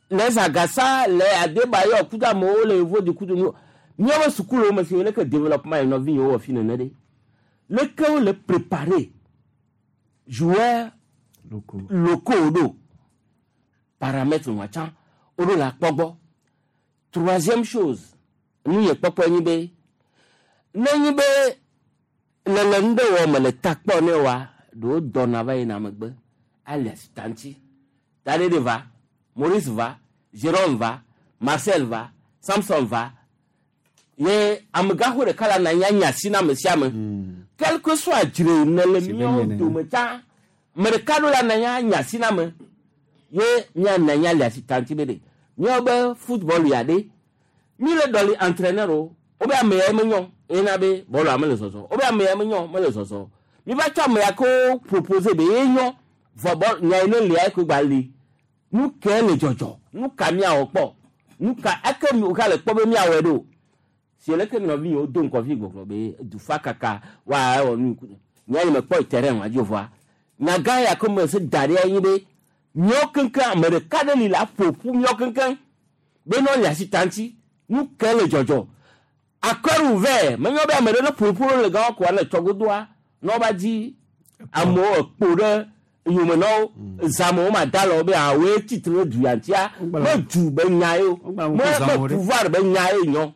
les agasa les adebayɔ kudo amewo le yevo di kudo nu míaƒe sukuluwo me si leke développement yi nɔvi yiwo wɔ fi nene ɖe leke wole préparer joueurs locaux ɖo paramètre wa tsã woɖo la kpɔ gbɔ troisième chose nu yɛ kpɔkpɔ nyi be ne nyi be lele nu ɖe wɔ me le ta kpɔ ne wa ɖewo dɔna va yina megbe alias tanti taɖeɖe va Maurice va Jérôme va Marcel va Samson va ye amegaxo ɖeka la na anyi anya asi na ame sia ame quel que soit dzre ne le míawo dome tsã ame ɖeka ɖo la na anyi anya asi na ame ye míana anyi alias tanti be ɖe míawo be football ya ɖe mi le ɖɔli entraîneur o wobe ame ya menyɔ ena be bɔlua mele zɔzɔ wobe ame ya menyɔ mele zɔzɔ mi va tsɔ ame ya ko proposer be ye nyɔ vɔ bɔl nya yi ne lia ko gba li Nu ke le dzɔdzɔ, nu ka míawɔ kpɔ, nu ka eke mi woka le kpɔ be míawɔe ɖo. Si leke mi nɔvi do ŋkɔ fi gbɔgblɔ be dufa kaka wa ewɔ nu nya yi me kpɔ terrain wa dzi vɔa. Nyagã ya ko me se da ɖe anyi be míawo keŋkeŋ ame ɖeka ɖe li la ƒo ƒu míawo keŋkeŋ be ne wole asi ta ŋuti nu ke le dzɔdzɔ. Accord ouvert menye be ame ɖe ne ƒo ƒu le gã ko ale tsɔgodoa ne woava dzi amewo ekpo ɖe yome na wo zãme wo ma da le wo be awoe tsitre ɖe du ya ŋutia me du be nya ye o me me pouvoir be nya ye nyɔ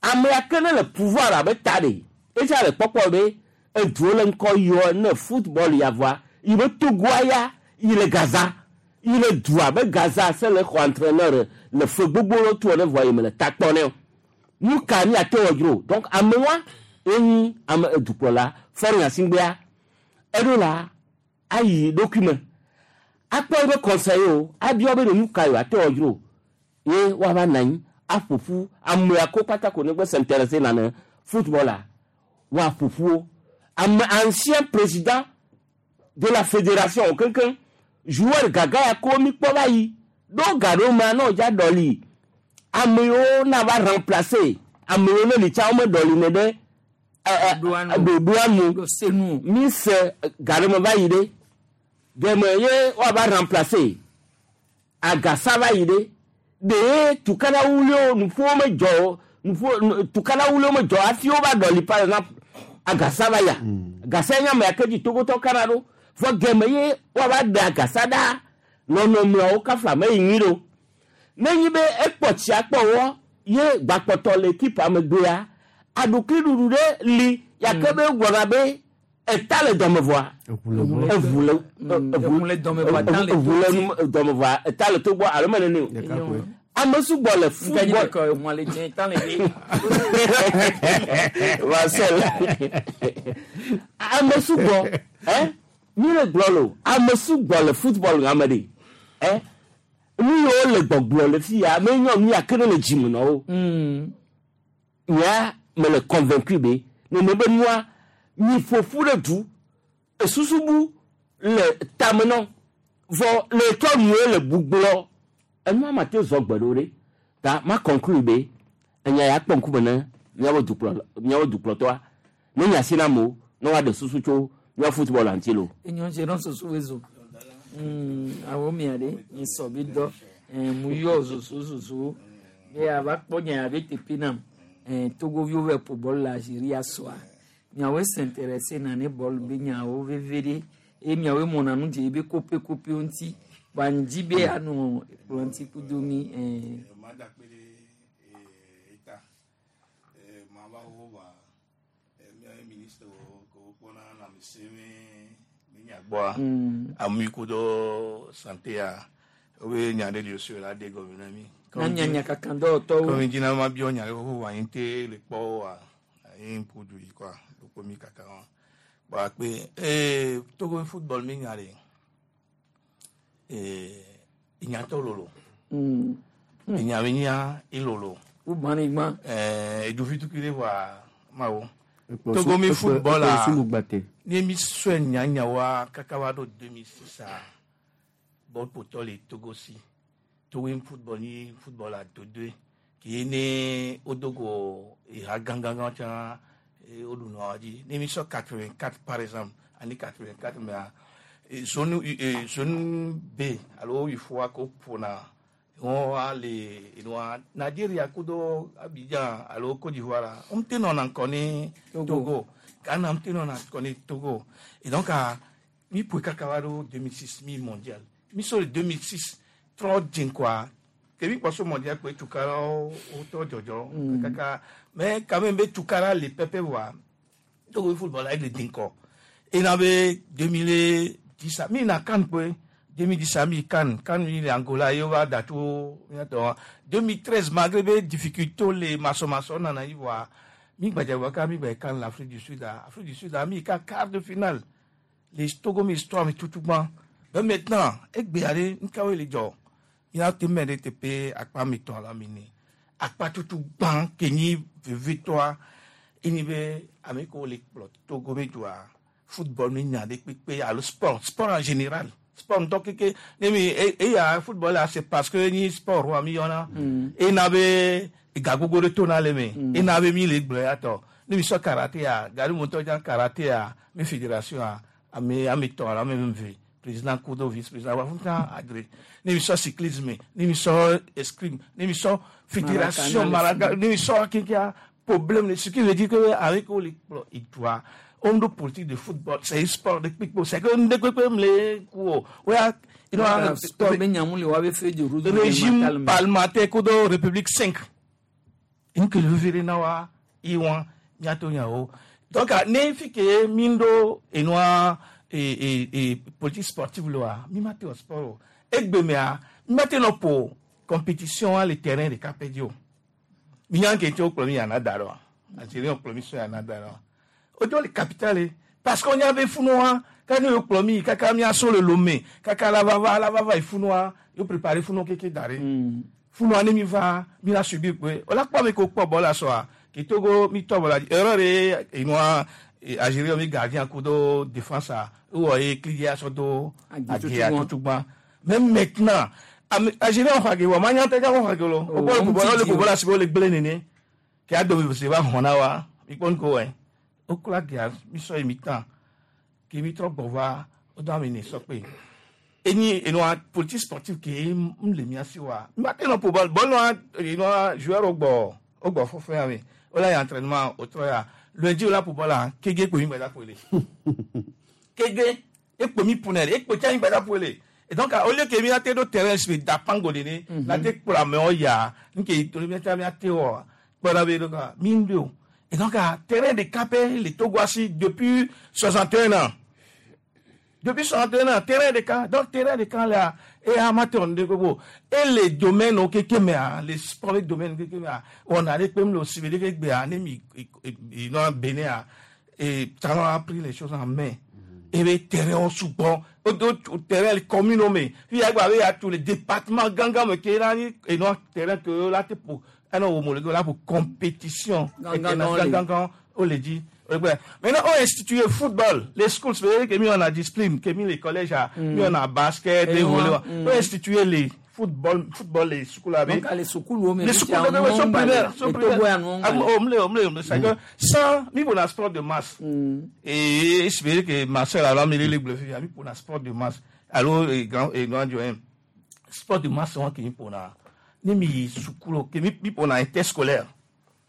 ame ya ke ne le pouvoir abe ta ɖe etsa le kpɔkpɔ be eduwo le ŋkɔ yɔ ne football ya vɔa yi be Togoa ya yi le Gaza yi le dua be Gaza se le xɔ entraîneur le fe gbogbo ɖewo tu ne vɔa yi me le ta kpɔ ne o nu ka míate wɔ dzro donc ame wa enyi ame edukplɔla Faure Gnassingbéa eɖo la ayi ɖokui me akpɔ eƒe conseil o abiɔ be ɖe nu ka yewoate wɔ dzro ye woava nɔ anyi aƒo ƒu amea ko kpata ko negbe s'intéresser na ne football la woaƒo ƒu wo ame ancien président de la fédération keŋkeŋ joueur gaga ya ko mi kpɔ va yi ɖo ga ɖo mea ne wòdza ɖɔli ame yiwo na va remplacer ame yiwo ne li tsã wome ɖɔli ne ɖe ɖoɖoa nu mi se ga ɖe me va yi ɖe geme ye woava remplacer agasa va yi ɖe ɖe tukana wuliwo nuƒowo medzɔ o nuƒo tukana wuliwo medzɔ hafi wova ɖɔli par exemple agasa va ya agasa nye ame ya ke dzi togotɔ kana ɖo vɔ geme ye woava ɖe agasa ɖa nɔnɔmeawo kafla me yi nyui ɖo ne nyi be ekpɔ tsia kpɔ wɔ ye gbakpɔtɔ le ekipa megbea aɖukliɖuɖu ɖe li yake be gblɔna be eta le dɔme vɔa eʋu le eʋu le dɔme vɔa eta le eʋu le nu- dɔme vɔa eta le to gbɔ alo me nene o ame sugbɔ le football Marcel ame sugbɔ ɛ mi le gblɔ lo ame sugbɔ le football ŋame ɖe ɛ nu yiwo le gbɔgblɔ le fi ya me nyɔ nu ya ke ne le dzime na wo nyea me le convaincu be nene be nua mi ƒo ƒu ɖe du esusu bu le tame nɔ vɔ le tsɔ nuwo le bugblɔ enua ma te zɔ gbe ɖo ɖe ta ma conclure be enya ya kpɔ ŋkume ne míawo dukplɔ míawo dukplɔtɔa ne nya si na amewo ne woaɖe susu tso míawo football ŋuti lo. Enyo dze nɔ susu wezo. Awo mia ɖe mi sɔ bi dɔ mu yɔ susu susu be ava kpɔ nya ya be teƒe nam. Togoviwo va ƒo bɔl le Algeria sɔa. Miawoe s'intéressé na ne bɔl be nyawo veve ɖe eye miawoe mɔna nu dze be kope kopewo ŋuti. Ba ŋdzi be anɔ kplɔ ŋuti kudo mi. Mada kpe ɖe eta mava wo va míaƒe ministre wo ko wokpɔna lãmesẽ me nya gbɔa ame ku ɖo santé-a wobe nya ɖe li osi la ɖe gɔme na mi. Na nya nyakaka dɔwɔtɔwo. Comme dina ma biɔ nya ɖe xoxo wa anyi te le kpɔ wa anyi ƒo du yi kɔa ɖokpo mi kaka wa kpɔ akpe ee Togo football mi nya ɖe ee enyatɔ lolo enya be nya elolo. Wo gbã ni gbã. Ɛɛ eduvi tukui ɖe vɔa mawo. Togo mi football a ne mi sɔe nyanyawoa kaka va ɖo 2006 a bɔl ƒotɔ le Togo si Togo mi football ni football a dodoe ke ne wodo go eha gãgãgã tsã woɖu nua dzi ne mi sɔ 84 par exemple année 84 mea zone zone B alo UFOA ko ƒona wɔn le enua Nigeria kudo Abidjan alo Côte d'Ivoire la wɔn te nɔna ŋkɔ ne Togo Ghana wɔn te nɔna ŋkɔ ne Togo et donc a mi ƒoe kaka va ɖo 2006 mi mondial mi sɔ le 2006 trɔ dze ŋkɔa kebi kpɔso mondial kpe tukara wotɔ dzɔdzɔ kaka mais quand même be tukara le pɛpɛ voa Togo football la ele dze ŋkɔ ena be 2010 mi na CAN kpe 2010 mi CAN CAN mi le Angola ye wova da tso míatɔ 2013 malgré be difficulté le masɔmasɔ nana yi voa mi gbadza ka mi gba CAN l'Afrique du Sud a Afrique du Sud a mi ka quart de finale le Togo mi histoire mi tutu gbã mais maintenant egbea ɖe nukawoe le dzɔ míate te mɛ ɖe teƒe akpa mi tɔ la mi ne akpa tutu gbã ke nyi vevitɔa enyi be ame kewo le kplɔ Togo mi dua football mi nya ɖe kpekpe alo sport sport en général Sport ŋutɔ keke ne mi eya football la c'est parce que nyi sport wa mi yɔna. Ena be ega gbogbo ɖe tona le me. Ena be mi le gblɔ ya tɔ. Ne mi sɔ karaté ya, gari mo ŋutɔ dza karaté ya, mi fédération ya, ame ame tɔn alo ame eve, président kudo vice président wa fún adré. Ne mi sɔ cyclisme, ne mi sɔ escrime, ne mi sɔ fédération Maracana, Maraca, ne mi sɔ kenkea problème ce qui veut dire que avec o le kplɔ edua on do politique de football c'est un sport de kpikpo c'est que nde kpekpe mle ku o oya Sport be nyamu le wa be feuille de route régime gouvernementale me. parlementaire kudo république 5 nke le vere na wa iwọn miato nyawo donc ne fi ke mi do enua e e e politique sportive lo wa mi ma te o sport o egbe mea mi ma te nɔ po compétition a le terrain de kapedi o mi nya ke tse o kplɔ mi yana da ɖo algérien kplɔ mi sɔ yana da ɖo o do le capitale ye. Parce qu'on y avait funua quand nous kplɔ mi kaka mi aso le lomé kaka la va va la va va funua yo préparé funua keke da ɖe funua ne mi va mi la subir kpe o la kpɔ mi ko kpɔ bɔ la sɔa ke togo mi tɔ bɔ la erreur ye enua algérien mi gardien kudo défense a ewɔ ye clidi asɔ do Agi agi tutugba mais maintenant algérien xɔ agi wɔ ma nya tɛ xɔ agi lo o bɔ le bɔ le bɔ la si o le gblẽ nene ke ado mi se va xɔ na wa mi kpɔ nuko wɛ o kura gia mi sɔ yi mi tan ke mi trɔ gbɔ va o do ame ne sɔ kpe enyi enua politique sportive ke n le mia si wa mi ma te nɔ po bɔl bɔl enua joueur o gbɔ o gbɔ fɔfɔ ya mi o la yi entraînement o trɔ ya lundi o la po bɔl la kege kpo mi gbɛda po le kege ekpo mi punɛ ekpo tsa mi gbɛda po le et donc au lieu que mi ate do terrain si da pango de ne la te kplɔ amewo ya nke toli mi ate mi ate wɔ kpɔna be do ka mi do et donc terrain de capé le Togo asi depuis 61 ans depuis 61 ans terrain de camp donc terrain de camp là et amateur de gbogbo et les domaines au keke mɛ a les sports les domaines keke mɛ a on a les kpem le civil keke gbe a ne mi i nɔ Bénin a et talon a pris les choses en main et les terrains sugbɔ o do o terrain commune o me fi agba be ya tous les départements gangan me ke na ni et non terrain que la te po ɛnɛ wo mo le la pour compétition Gangan, on le. gangan o le di o le gbɛ maintenant on institué football les schools c'est que mi on a discipline que mi les collèges a mi on a basket Et et ouais, volley on institué les football football les schools avec Donc, les sukulu o me les fi sukulu tia de sont nu primaires le sont le Togo ya primaires nu Ah, ŋgba le. oh, mle mle mle c'est que sans mi pour la sport de masse et espérer que Marcel alors mi le bleu mi pour la sport de masse alors et grand et grand Joël sport de masse on qui pour la ni mi sukulu que mi pour la interscolaire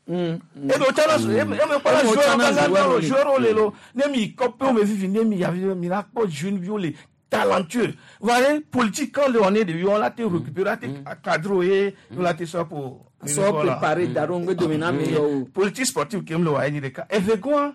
e bɛ o tana e bɛ kpɔla E bɛ o joueur tana ka joueur la le. joueur le lo ne mi kɔpe o me fifi ne mi yavi mi la kpɔ jeune bi o le talentueux voilà politique quand le on est de on la te récupérer la te cadre ye on la te sɔ pour Sɔ préparer da ɖo ŋgbe dome na ame yɔ o. politique sportive ke mu le wa ye ɖeka eve gɔn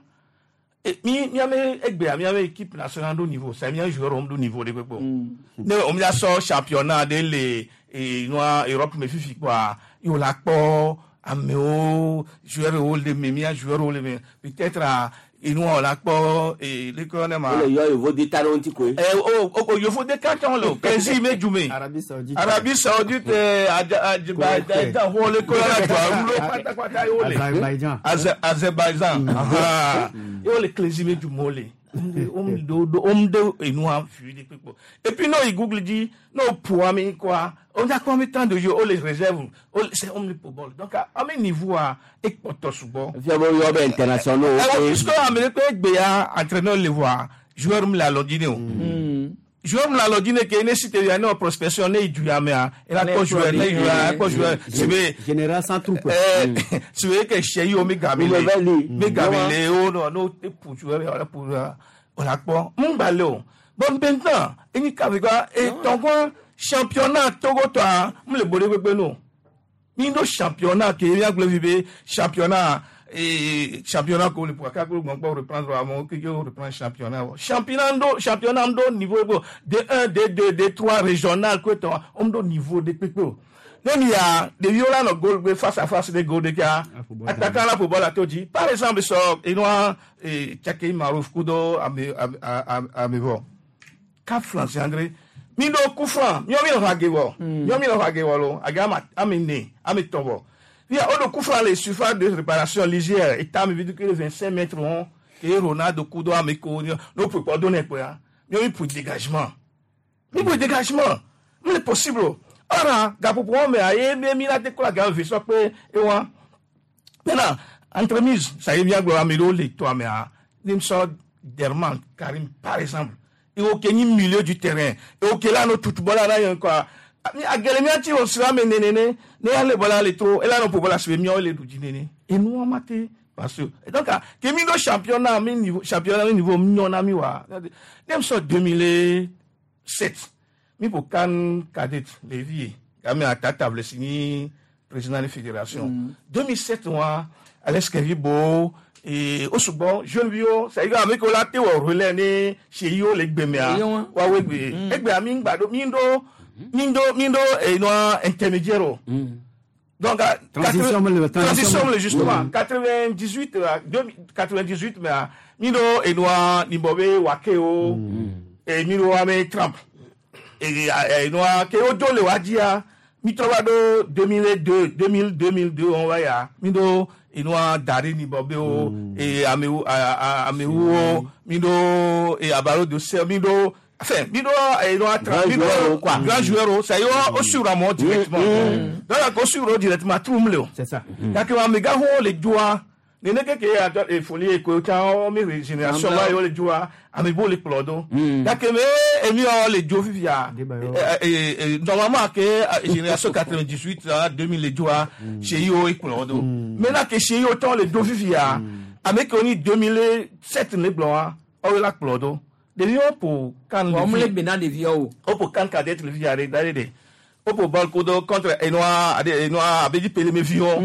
mi miame egbea miame équipe nationale do niveau c'est mia joueur om do niveau de kpekpe o ne o mi sɔ championnat de le e nua Europe me fifi kpoa ye o la kpɔ amewo joueur wo le me mia joueur wo le me peut-être a enua o la kpɔ e lekɔ ne ma. O le yɔ yevo de ta ɖe wo ŋuti koe. Ɛ o o yofo de kan le o kɛnsi me jume. Arabie Saoudite. Arabie Saoudite Azerbaijan wo le ko yɔrɔ jɔ wulo pátápátá yóò le. Azerbaïdjan. Azerbaïdjan. Yóò le kɛnsi me jume o le. Om de enua fi de kpekpe. Et puis n'o yi Google di n'o po ami quoi. On a combien de temps de jeu o les réserve o c'est om le po ball. Donc à mes niveau a ekpɔtɔ sugbɔ. Fia be woyɔ be internationaux. Alors puisque Amérique gbeya entraîneur le voit joueur mi la lɔdine o. Joueur mi la lɔdine ke ne si te ya ne o prospection ne yi du ya mea e la kɔ joueur ne yi du ya kɔ joueur sebe Général sans troupe. ɛɛ sebe ke sɛ yi o mi gami le mi gami le o no no te pu joueur ya o la pu o la kpɔ mun gba le o bon maintenant enyi kabi ka etɔnkɔ championnat Togo tɔa mu le bo de gbegbe no mi do championnat ke mi agblɔ fi be championnat eh, championnat ko le pour ka ko gbɔn reprendre amewo keke wo reprendre championnat wɔ championnat do championnat do niveau bo D1 D2 D3 régional ko tɔ om do niveau de kpekpe o ne mi ya ɖeviwo la nɔ goal gbe face à face de goal ɖeka attaquant la football la to dzi par exemple sɔ enua Tsake Marouf kudo ame ame ame vɔ ka France André mi do coup franc miɔ mi nɔ age wɔ miɔ mi nɔ age wɔ lo age ama ame ne ame tɔn vɔ fia o do coup franc le surface de réparation lisière eta mi vi do ke le 25 mètres wɔn ke Ronaldo kudo ame ko n'o ƒo kpɔ do ne kpɔa miɔ mi ƒo dégagement Mi bo dégagement. Mi le possible. Ora gaƒoƒo wɔme aye be mi la te kɔ aga ve sɔ kpe ewa. Maintenant, entremise, ça y est bien gblɔ ame ɖewo le toa mea. Ne sɔ Derman Karim par exemple. Ewo ke nyi milieu du terrain. Ewo ke la no tutu bɔla na yɛn quoi. Agele mia ti o sira me nenene. Ne ya le bɔla le to, ela no po bɔla sebe miawo le du dzi nene. Enua ma te parce que et donc ke mi do championnat mi niveau championnat mi niveau nyɔna mi wa. Ne sɔ 2007 mi po CAN cadet le vie. Game atata vle sini président de fédération. 2007 wa Alex Kevibo et au sugbɔ jeune viwo c'est à dire ame kewo la te wɔ relais ne seyiwo le gbemea woawoe gbe egbea mi ŋgba ɖo mi ɖo mi ɖo mi ɖo enua intermédiaire o. Donc Transition me le- transition me le justement. 98 98 mea mi ɖo enua nibɔ be wake o et mi ɖo ame Trump et enua ke wo do le wa dzia mi trɔ va ɖo 2002 2000 2002 wɔn va ya mi ɖo enua da ɖe nibɔ be wo et amewo amewo mi ɖo et abalo de sel mi ɖo enfin mi ɖo enua Grand mi ɖo joueur quoi. Grand joueur o ça y est o suivre amewo directement. Donc o suivre directement trum le o. C'est ça. Gake amegãxowo le dzoa nene keke atɔ efoli eko tsã wo mi génération ma yewo le dzoa ame bo le kplɔ do. Gake me emi yɔ le dzo fifia normalement ke génération 98 2000 le dzoa seyi wo ekplɔ do. Maintenant ke seyi wo tɔ le do fifia ame kewo ni 2007 le gblɔ wa ɔwo la kplɔ do. Ɖeviwo ƒo kan Wɔn le bena ɖeviawo. O ƒo kan cadet le fifia ɖe da ɖe de o ƒo bɔl kodo contre enua ade enua abedzi pele viwo.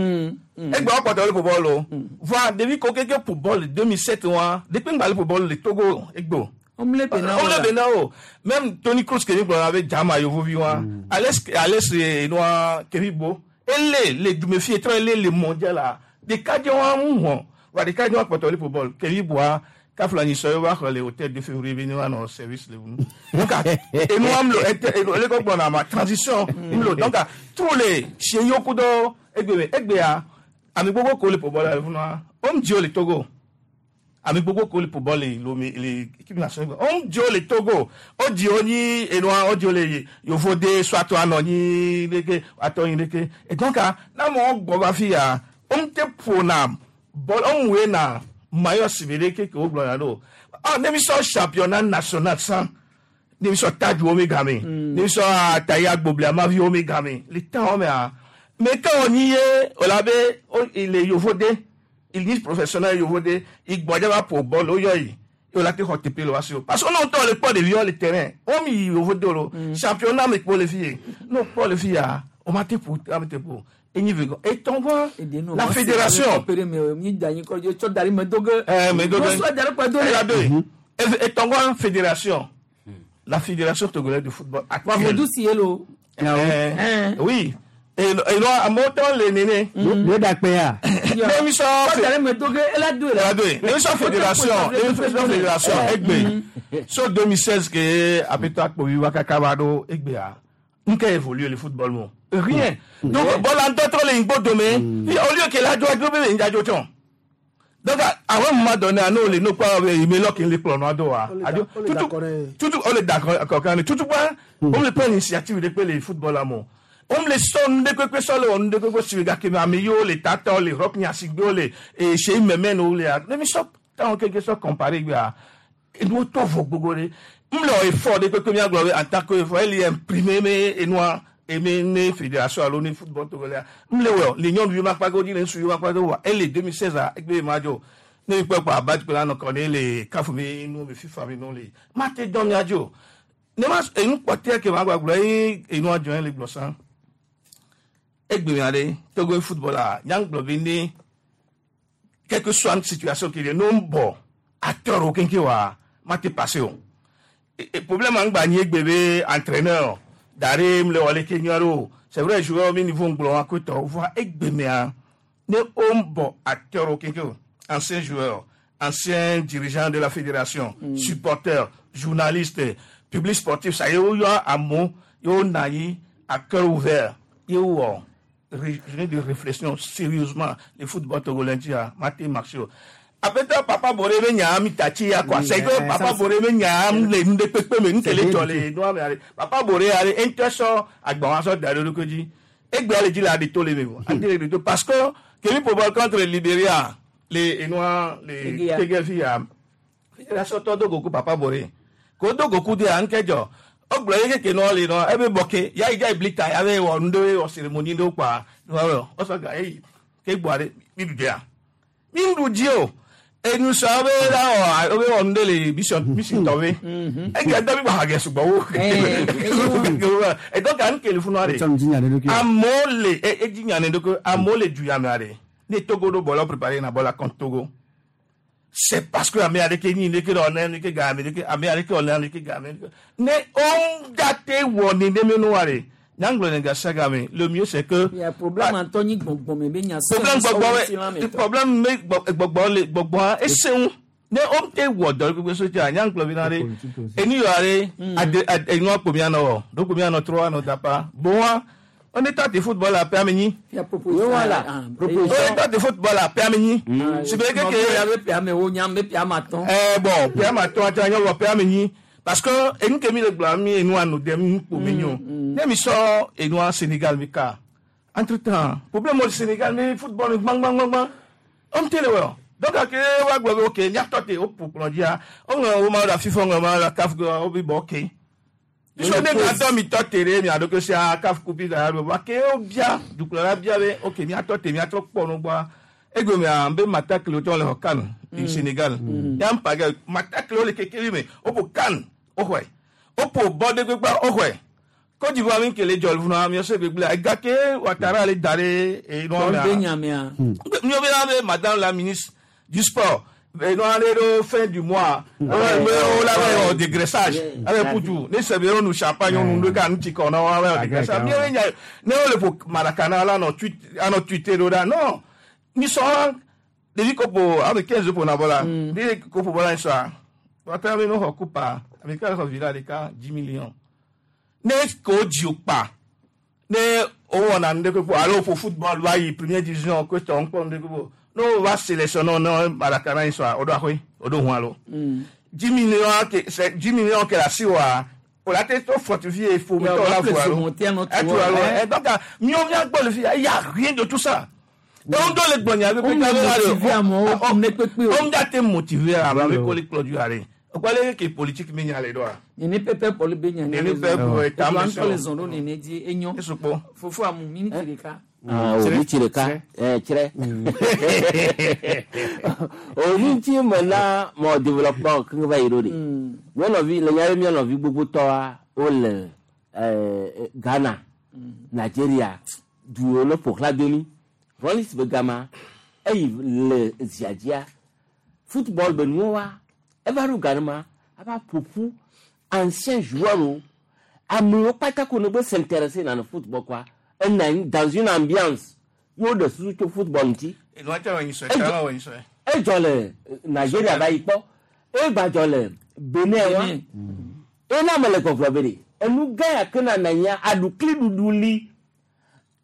Egbe wo kpɔtɔ le ƒo bɔl o. Voa ɖevi ko keke ƒo bɔl le 2007 wa depuis ŋgba le ƒo bɔl le Togo egbe o. Omle bena Omle bena o. Même Tony Kroos ke mi gblɔ abe Jama yevovi wa. Alex Alex enua Kevi Bo. Ele le dumefi etrɔ ele le mondial la. Ɖekadze wa ŋu hɔn. Wa ɖekadze wa kpɔtɔ le ƒo bɔl. Kevi Boa kafla nyi sɔ ye wa xɔ le hôtel de février be ne wa nɔ service le ŋu. Donc enua mlo ete enu ele kɔ gbɔna ma transition mlo donc tous les seyiwo kudo egbe me egbea ame gbogbo ko le ƒo bɔl le funua om dzo le Togo ame gbogbo ko le ƒo bɔl le Lomé le équipe nationale om dzo le Togo o dzo nyi enua o dzo le yovo de soit anɔ nyi leke atɔ nyi leke et donc na mɔ gbɔ va fi ya om te ƒona bɔl om woe na maillot sibere ke ke wo gblɔna ɖo ah ne mi sɔ championnat national san ne mi sɔ tajuwo mi game ne mi sɔ atayi agbobli amaviwo mi game le temps wo mea mais quand on y est o la be o il est yovo de il est professionnel yovo de igbɔdze va ƒo bɔl o yɔ yi o la te xɔ teƒe le wa si o parce que on ŋutɔ le kpɔ ɖeviwo le terrain o mi yi yovo de o championnat mi kpɔ le fi ye n'o kpɔ le fi ya o ma te ƒo ame te ƒo enyi ve gɔ etɔn vɔ la fédération. Etɔngɔ fédération la fédération togolaise de football actuelle. Oui. Et non, amewo tɔ le nene. Le dakpe ya. Ne mi sɔ. Ne mi sɔ fédération ne mi sɔ fédération egbe so 2016 ke apetɔ akpovi wa kaka va ɖo egbea nke évolue le football mo. Rien. Donc bɔl antɔ trɔ le ŋgbo dome au lieu que la dzo adzro be le ŋdzadzo tsɔn. Donc à un moment donné, nous les nous pas mais là qui les plans do wa. Tutu tutu on est d'accord quand tutu pas on le prend l'initiative de le football amour. On le sonne de quoi que le on de quoi sur gars qui m'a mis les tata les rock ni asigbo les et chez même nous les mais ça tant quelque chose comparé à et nous tout faut gbogbo re. M'le effort de quoi que mi gloire en tant que il est imprimé mais et nous et ne fédération alo ne football togolais m'le wo l'union du ma pa go di le su ma pa do wa elle 2016 a egbe ma jo ne pe pa ba pe la no kon le CAF mi no me FIFA mi no le ma te don mi ajo ne ma e nu pote ke ma gba gbo e inu ajo le gbo san egbe mi ade Togo football a nyang gbo bi ni quelle que soit une situation qui est non bon acteur au kenke wa ma te passé o et problème an gba ni egbe be entraîneur Daré le wale kenyaro c'est vrai joueur mi niveau nglo akoto voit egbe mi a ne o bon acteur au kenke ancien joueur, ancien dirigeant de la fédération, supporter, journaliste, public sportif, ça y est, yo amo, yo nayi à cœur ouvert, yo journée de réflexion sérieusement le football togolais a maté marché. Aƒetɔ Papa Bore be nya mi tatsi ya quoi. C'est que Papa Bore be nya le nu ɖe kpekpe me nu ke le dzɔ le nua me ale. Papa Bore ale eŋutɔ sɔ agbawa sɔ da ɖe eɖokui dzi. Egbea le dzi le aɖi to le me o. Aɖi le ɖi to parce que ke mi ƒo bɔl contre Liberia le enua le Tegeya. Tege fi ya. Fédération tɔ do goku Papa Bore. Ko do goku de anke dzɔ. Wogblɔ ye keke nɔ le nɔ ebe bɔ ke ya yi dza yi blita ya be wɔ nu ɖewo wɔ cérémonie ɖewo kpa. Wosɔ ga eyi ke gbɔa ɖe mi ɖu dzia. Mi ŋu dzi o. Enusɔ be la wɔ wo be wɔ nu ɖe le mission mission tɔ be. Ege dɔ mi gba hage sugbɔ wo. Edɔ ka nu ke le funua de. Etsɔ nu dzi nya ɖe ɖokui. Amewo le edzi nya ne ɖokui amewo le du ya mea de. Ne Togo ɖo bɔlɔ préparé na bɔla contre Togo. C'est parce que ame aɖeke nyi ɖeke ɖe ɔnɛ ɖeke ga ame ɖeke ame aɖeke ɔnɛ ɖeke ga ame ɖeke. Ne wo date wɔ nene nua de. Nyagblɔ ne gasi game le mieux c'est que. Ya problème antɔ nyi gbɔngbɔn me be nya problème gbɔgbɔ me problème me gbɔgbɔ le gbɔgbɔa ese ŋu ne wo te wɔ dɔ gbogbo so tia nyagblɔ bi na de enu yɔ are ade ade enua kpo mia nɔ wɔ ɖo kpo mia nɔ trɔ anɔ dapa boa on est de football la pe amenyi. On est de football la pe amenyi. Si be ke ke ya be pe ame wo nyam be pe amatɔn. Eh bon pe amatɔn ati anyo wɔ pe amenyi parce que enu ke mi le gblɔ mi enu anu dem nu kpo mi nyo. Ne mi sɔ enua Sénégal mi ka. Entre temps problème au Sénégal mi football mi gbang gbang gbang. On te le wɔ. Donc ake wa gblɔ be ok miatɔ te o ƒo kplɔ dzia o ŋlɔ wo ma la FIFA ŋlɔ ma la CAF o bi bɔ ok. Biso ne miatɔ mi tɔ te ɖe mia ɖokui sia CAF coupe da ɖo wa ke wo bia dukplɔla bia be ok miatɔ te miatrɔ kpɔ nu gbɔa egbe mea be matakle wotɔ le xɔ CAN du Sénégal. Ya ŋpa ge matakle wo le kekeli me o ƒo CAN o xɔe o ƒo bɔ ɖe gbegba o xɔe. Côte d'Ivoire mi kele dzɔ funa mi se gbegble ega ke Ouattara le da ɖe enua Tɔ be mea. nya mea. Mi be na be madame la ministre du sport enua ale ɖo fin du mois me wo la be wɔ dégraissage abe putu ne se be wo nu champagne wo nu ɖe ka nu tsi kɔ na wo abe wɔ dégraissage mi ye nya ne wo le ƒo Maracana la nɔ tweet anɔ tweeter ɖo ɖa non mi sɔ ɖevi kopo ame 15 ƒo na bɔ la ɖevi kopo bɔ la yi sɔa Ouattara be no xɔ coupe ame ka xɔ villa ɖeka 10 millions ne ko dzi o kpa ne o wɔna nu ɖe kpekpe alo ƒo football va yi première division ko tɔ ŋkpɔ nu ɖe kpekpe ne o va sélectionner ne Maracana yi sɔa o ɖo axɔe o ɖo hun alo 10 millions ke c'est 10 millions ke le asi wa o la te to fortifier fomitɔ la vo alo etu alo eh donc miwo mia gbɔ le fi ya y a rien de tout ça donc do le gbɔnya be O motiver amewo ne kpekpe o. o ŋu te motiver ame abe ko le kplɔ du are o kɔ le ke politique mi nya le ɖoa. Nene pɛpɛ pɔli be nya. Nene pɛpɛ pɔli ta ta me me sɔ. Le zɔn ɖo nene dzi enyo. Esukpɔ. Fofo amu miniti ɖeka. Ah, o miniti ɖeka eh, tsrɛ o miniti me na mɔ développement keŋ va yi ɖo de mía nɔvi le nya be mía nɔvi gbogbotɔa wole eh, Ghana, Nigeria duwo ne ƒo xlã domi Rollins be gama eyi le zia dzia football be nuwo wa eva ɖo Ghana ava ƒoƒu ancien joueur wo amewo kpata ko ne be s'intéresser na le football quoi ena anyi dans une ambiance ye woɖe susu tso football ŋuti Enua tse wɔ nyi sɔe tse wɔ nyi sɔe. edzɔ le Nigeria va yi kpɔ egba dzɔ le Benin wa ena me le gbɔgblɔ be ɖe enu gã ya ke nana nyia aɖukli ɖuɖu li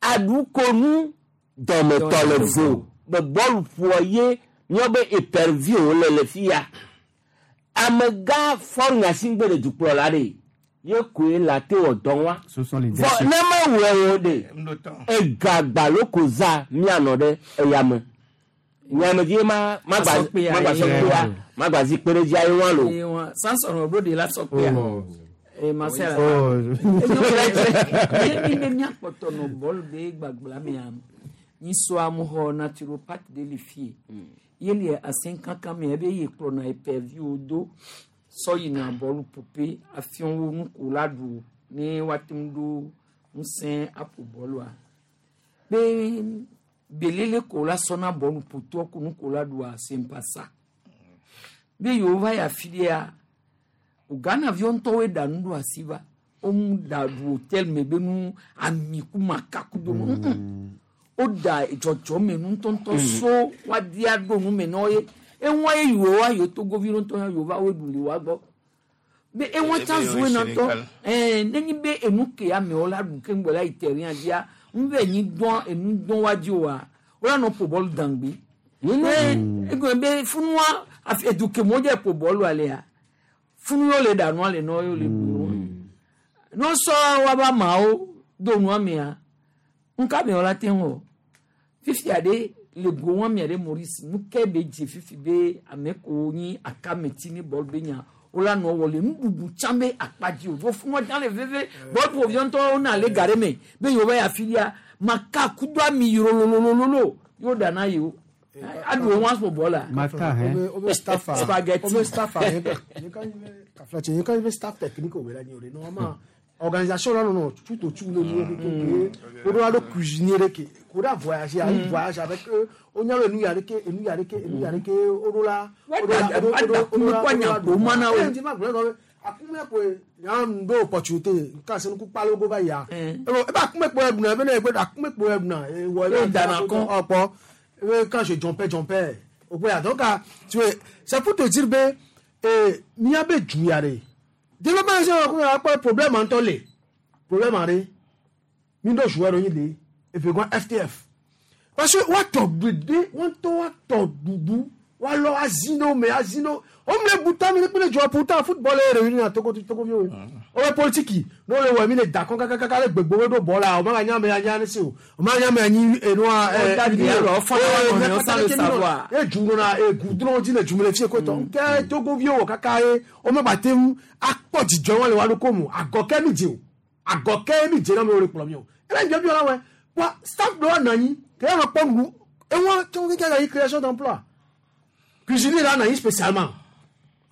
aɖukonu dɔmetɔ le vo be bɔlu ƒoa ye míawo be épervier wo le le fi ya amegã fɔru nyasigbe le dukplɔla ɖe ye koe la te wɔ dɔ wa Ce sont les vɔ déchets. ne mewɔe o ɖe egagba loko za mianɔ ɖe eyame nyame dzi ma magba Asɔkpea magba ye. sɔkpea magba zi kpe ɖe dzi ayi wa lo. Eye wa Samson ɖo de la sɔkpea. Eh Marcel. Oh. Enyo mi be miakpɔtɔ nɔ bɔlu be gbagblã mea nyisɔ amuxɔ naturopathe de le fie. Ye le asẽ kankan mea ebe ye kplɔna épervier do sɔ yina bɔlu ƒoƒe afiɔ wo nuko la ɖu ne woate ŋu ɖo ŋusẽ aƒo bɔlua. Be belele ko la sɔna bɔlu ƒotɔ ko nuko la ɖua c'est pas ça. Be yewo va yi afi ɖea o Ghana viwo ŋutɔwoe ɖa nu ɖo asi va womu ɖa ɖu hotel me be nu ami ku makaku do nu o da dzɔdzɔme nu ŋutɔŋutɔ so woadi aɖo nu me na wo ye eŋua ye yiwo wa yiwo togovi ŋutɔ ya yiwo va wo ɖu le wa gbɔ be eŋua tsa Ebe zu yewo ena ŋutɔ Sénégal. ɛɛ nenyi be enu ke amewo la ɖu keŋgbɔ la yi terrain dzia ŋu be nyi dɔn enu dɔn wa dzi oa wo la nɔ ƒo bɔlu dangbi Ne egbe be funua afi eduke mo dze ƒo bɔlu alea. Funu yio le ɖa nua le nɔ yio le bu. Ne wosɔ woabe ameawo do nua mea, nuka me wola te ŋu o. Fifia ɖe le go wɔn mia ɖe Maurice nu ke be dze fifi be ame kewo nyi akameti ne bɔlu be nya wola nɔ wɔ le nuɖuɖu tsã be akpa dzi o. Vɔ funua tsã le veve. Bɔlu ƒoviɔ ŋutɔ wona le ga ɖe me be yewo va yi afi ɖia maka kudo ami yrololololo yewo ɖa na yewo. Aɖu wo ŋu aƒo bɔlua. Maka hɛn. Obe staff a Spaghetti. Obe staff a kafla tse yeka be staff technique o be la nyi o de normalement organisation la nɔnɔ tout autour de nous ke o do alo cuisinier de ke ko da voyager ayi voyage avec eux o nya be nu ya de ke enu ya de ke enu ya de ke o do la o do la o do o do o do la Wa da akume kɔ nya o di ma gblɔ be akume ko nya do opportunité nka se nuku kpalo go va ya e ba akume kpo ebuna be ne gbe akume kpo ebuna e wɔ E dana kɔn. ɔkpɔ e quand je jumpais jumpais o boya donc ah, tu vois c'est pour te dire be eh mia be juya de développement c'est ko akpɔ problème antɔ le problème are mi do joueur yin le efe gan FTF parce que wa tɔ gbede wọn tɔ wa tɔ dudu wa lɔ azino me azino o mi le buta mi le kpe le jɔ pourtant football ye réuni na togo togo mi o o bɛ politiki n'o le wɔ mi le da kɔn kakakaka le gbegbo be do bɔ la o ma ka ɲa mɛ anya ne se o o ma ɲa mɛ anyi enua O da di alɔ, o fɔlɔ wa nɔ, o sans le savoir. e ju nana e gudron di le jumele fie kotɔ kɛ togo vi o kaka ye o ma ba te ŋu akpɔ dzidzɔ wọn le wa ɖo ko mu agɔkɛ mi dze o agɔkɛ mi dze na mi o le kplɔ mi o ebe njɔ bi wɔla wɛ wa staff dɔ wa nɔ anyi ke ya ma kpɔ nu ewa tso keke la yi création d'emploi cuisinier la nɔ anyi spécialement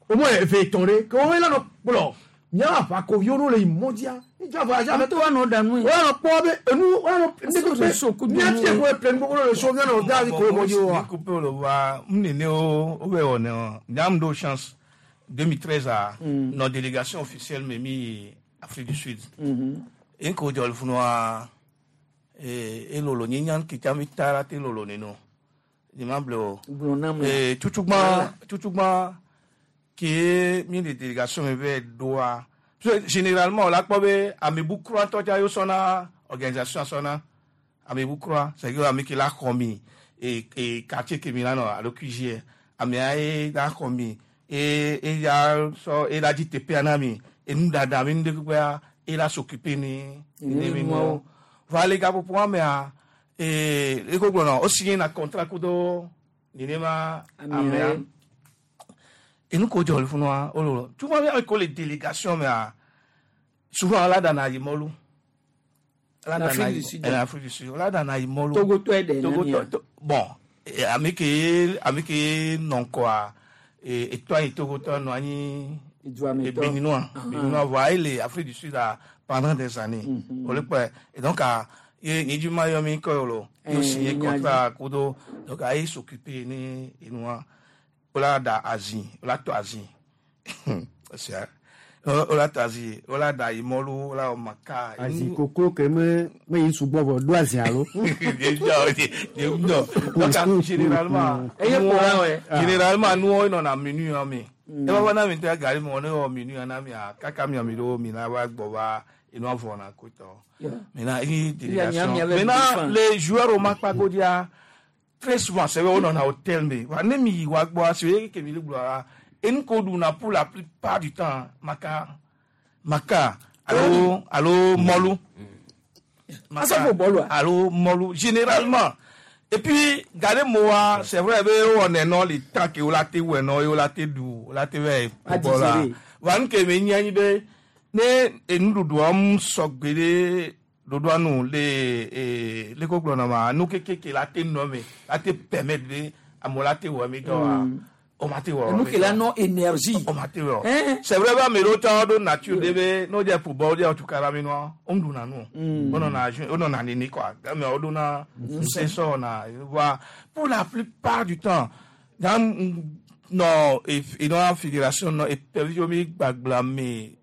au moins eve tɔn ɖe ke wɔn la nɔ kplɔ miawo aʋakoviwo n'o le yi mɔdia níjɔ voyage avec Ame to wa nɔ ɖa nu ye. wɔn la nɔ kpɔ be enu wɔn la nɔ Est-ce que le so kudu mia nu fie ye? ko eple nu gbogbo le so mia nɔ da ko mɔdzi wa. Coupé le wa nene o o bɛ wɔ ne o nyam do chance 2013 a nos délégation officielle me mi Afrique du Sud. En ko jɔl funua elolo nye nyan kita mi taara te lolo neno. Ni ma ble o. Gblɔ nam la. Tutugba tutugba ke mi de délégation me bɛ doa. Parce que généralement o la kpɔ be amebu kura ŋutɔ tsa yio sɔna organisation sɔna amebu kura c'est que ame ke la xɔ mi e e quartier ke mi la nɔ alo QG amea ye la xɔ mi e e ya sɔ e la dzi teƒea na mi enuɖaɖa mi nu ɖe kpekpea e la s'occuper ni ne mi nuawo va le gaƒoƒoa mea ee eko gblɔ nɔ o signé na contrat kudo nenema amea Amea. enu ko jɔ le funua o lo tu vois bien que les délégations mea souvent ala dana yi mɔlu ala dana L'Afrique yi du Sud. l'Afrique du Sud ala dana yi mɔlu Togo tɔ ye dɛ Togo nani tɔ ya? bon eh, ame ke ame ke nɔ ŋkɔa etɔ anyi Togo tɔ nɔ anyi Eduametɔ. Béninois Béninois voa ele Afrique du Sud a pendant des années o le kpɔe et donc a ye nyedzi ma yɔ mi kɔ yɔ lo ye o signé Eh, contrat kudo donc a ye s'occuper ni enua o la da azi o la tɔ azi c'est o la tɔ azi o la da imɔlu o la wɔ maka Azi koklo ke me me yi sugbɔ vɔ do azi alo. donc généralement Eye kpɔla wɛ. généralement nous on a menu ya mi e ba na mi tɛ gari mi ne wɔ menu ya na mi a kaka mi mi do mi na wa gbɔ va enu avɔ na ko tɔ maintenant une délégation Il y a maintenant différent. les joueurs au Makpagodia très souvent c'est vrai on en a hôtel mais wa ne mi wa gbɔ c'est vrai que mi le gblɔ enu ko du na pour la plupart du temps maka maka alo alo mɔlu Asɔfo bɔlu a? alo mɔlu généralement et puis gade moa c'est vrai be wɔ nɛnɔ le temps ke wo la te wɔ nɔ ye wo la te du wo la te vɛ A bɔ la digérer. wa nu ke me nyi anyi be ne enuɖuɖua mu sɔgbe ɖe ɖoɖoa nu le ee le ko gblɔna ma nu kekeke la te nɔ me la te permettre be amewo la te wɔ mi dɔ wa o ma te wɔ Enu mi ke la dɔ. nɔ énergie. O ma te wɔ Hein? c'est vrai be ame ɖewo tsã ɖo nature ɖe be ne wodze football wodze tukara mi nua wo ŋɖuna nu o wo nɔna ju wo nɔna nene quoi game wo ɖona ŋusẽ sɔ wɔna voa pour la plupart du temps dans nɔ enɔa fédération nɔ epeviwo mi gbagba me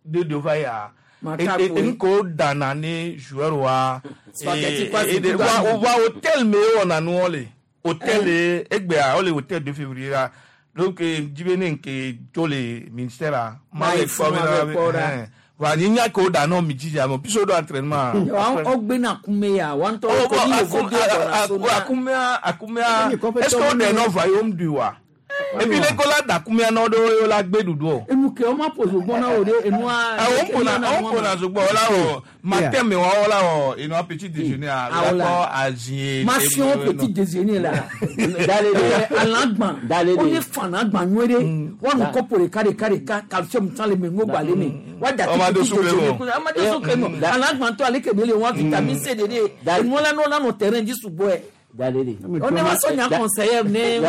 de do va ya Maka koe. enu ko dana ne joueur wa Spaghetti kwa e de si wa o va hôtel me wɔna nuwɔ le hôtel le egbea wole hôtel 2 février la donc dzibe ne nke tso le ministère la Ma yi le kpɔ funu bena ave kpɔ ɖa. ɛhɛn. Va ni nya ko da no mi dzi ame biso do entraînement. Ɔgbe na kume ya wa ŋutɔ Oh, ko bon, ni yovo do gbɔna so na. Akumea akumea est-ce que o de nɔ va yom du wa? Et puis les kola da akumea nɔ do yo la gbe dudu o. Enu ke ɔma ƒo zogbɔn na wo de enua. Awon ƒona awon ƒona zogbɔn o la wɔ matin mi wa o la wɔ enu petit déjeuner a Ah, o la. la kɔ azie. Ma fiɔ petit déjeuner la. Dale de. Alagban. Dale de. O ne fana gban nyuie ɖe. Wɔnu kɔpo ɖeka ɖeka ɖeka calcium tán le me ŋgo gba le me. Wa da Ɔma do petit sukle déjeuner o. kun ama do sukle nɔ. Alagban tɔ ale kebe le wa vitamine C de de. Enua la nɔ la nɔ terrain dzi sugbɔɛ. Dale de. O ne ma sɔ nya conseiller ne.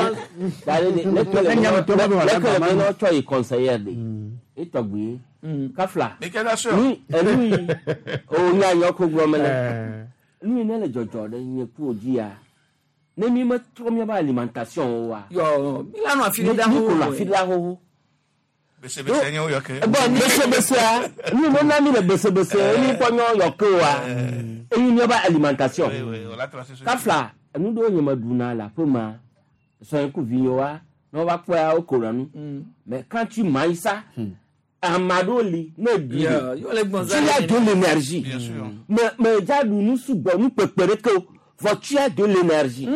Dale de. Ne kele ne ne tsɔ yi conseiller de. Etɔgbi. Kafla. Mais quelle nation? Ni enu yi o nya yɔ ko gblɔ me le. Nu yi ne le dzɔdzɔ ɖe nye ku o dzi ya. Ne mi me trɔ miabe alimentation o wa. Yɔ mi la nɔ afi ɖe da Mi ko nɔ xoxo. afi ɖe da xoxo. Besebese nye wo yɔ ke. Bon, besebesea, nu me na mi le besebese, emi kpɔ nyɔ yɔ ke wa. Eyi miabe alimentation. Oui, oui, o la tracé sur- Kafla, enu ɖewo nye me ɖuna le aƒe ma, sɔe ku vinyewoa, ne wova kpɔa wo kona nu. Mais quand tu manges ça, ame aɖewo li ne ɖui Yɔ yɔ le gbɔn tu as de l'énergie. Bien sûr. Mais mais dza ɖu nu sugbɔ nu kpekpe ɖeke o, vɔ tu as de l'énergie.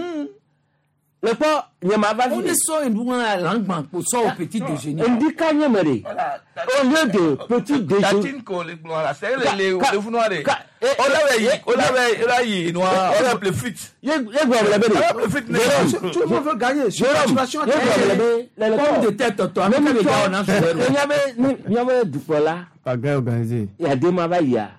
Le kpɔ nye ma va O fi ne sɔ enua alagban ko sɔ o petit déjeuner. Ŋdi ka nye me ɖe. Au lieu de petit déjeuner. Tatine ko le gblɔ la, c'est le le le funua de. Ka- O la bɛ yi o la bɛ o la yi nua o la ple fuite. Ye ye gblɔ le be O la de. ple fuite ne. Jérôme. Tout le monde veut gagner. Jérôme, Situation ye gblɔ le be le le Pomme kpɔ. de terre tɔtɔ ame ke be ga wɔna sɔrɔ. Miabe ne miabe dukplɔla Pagaille organisée. yadema va yia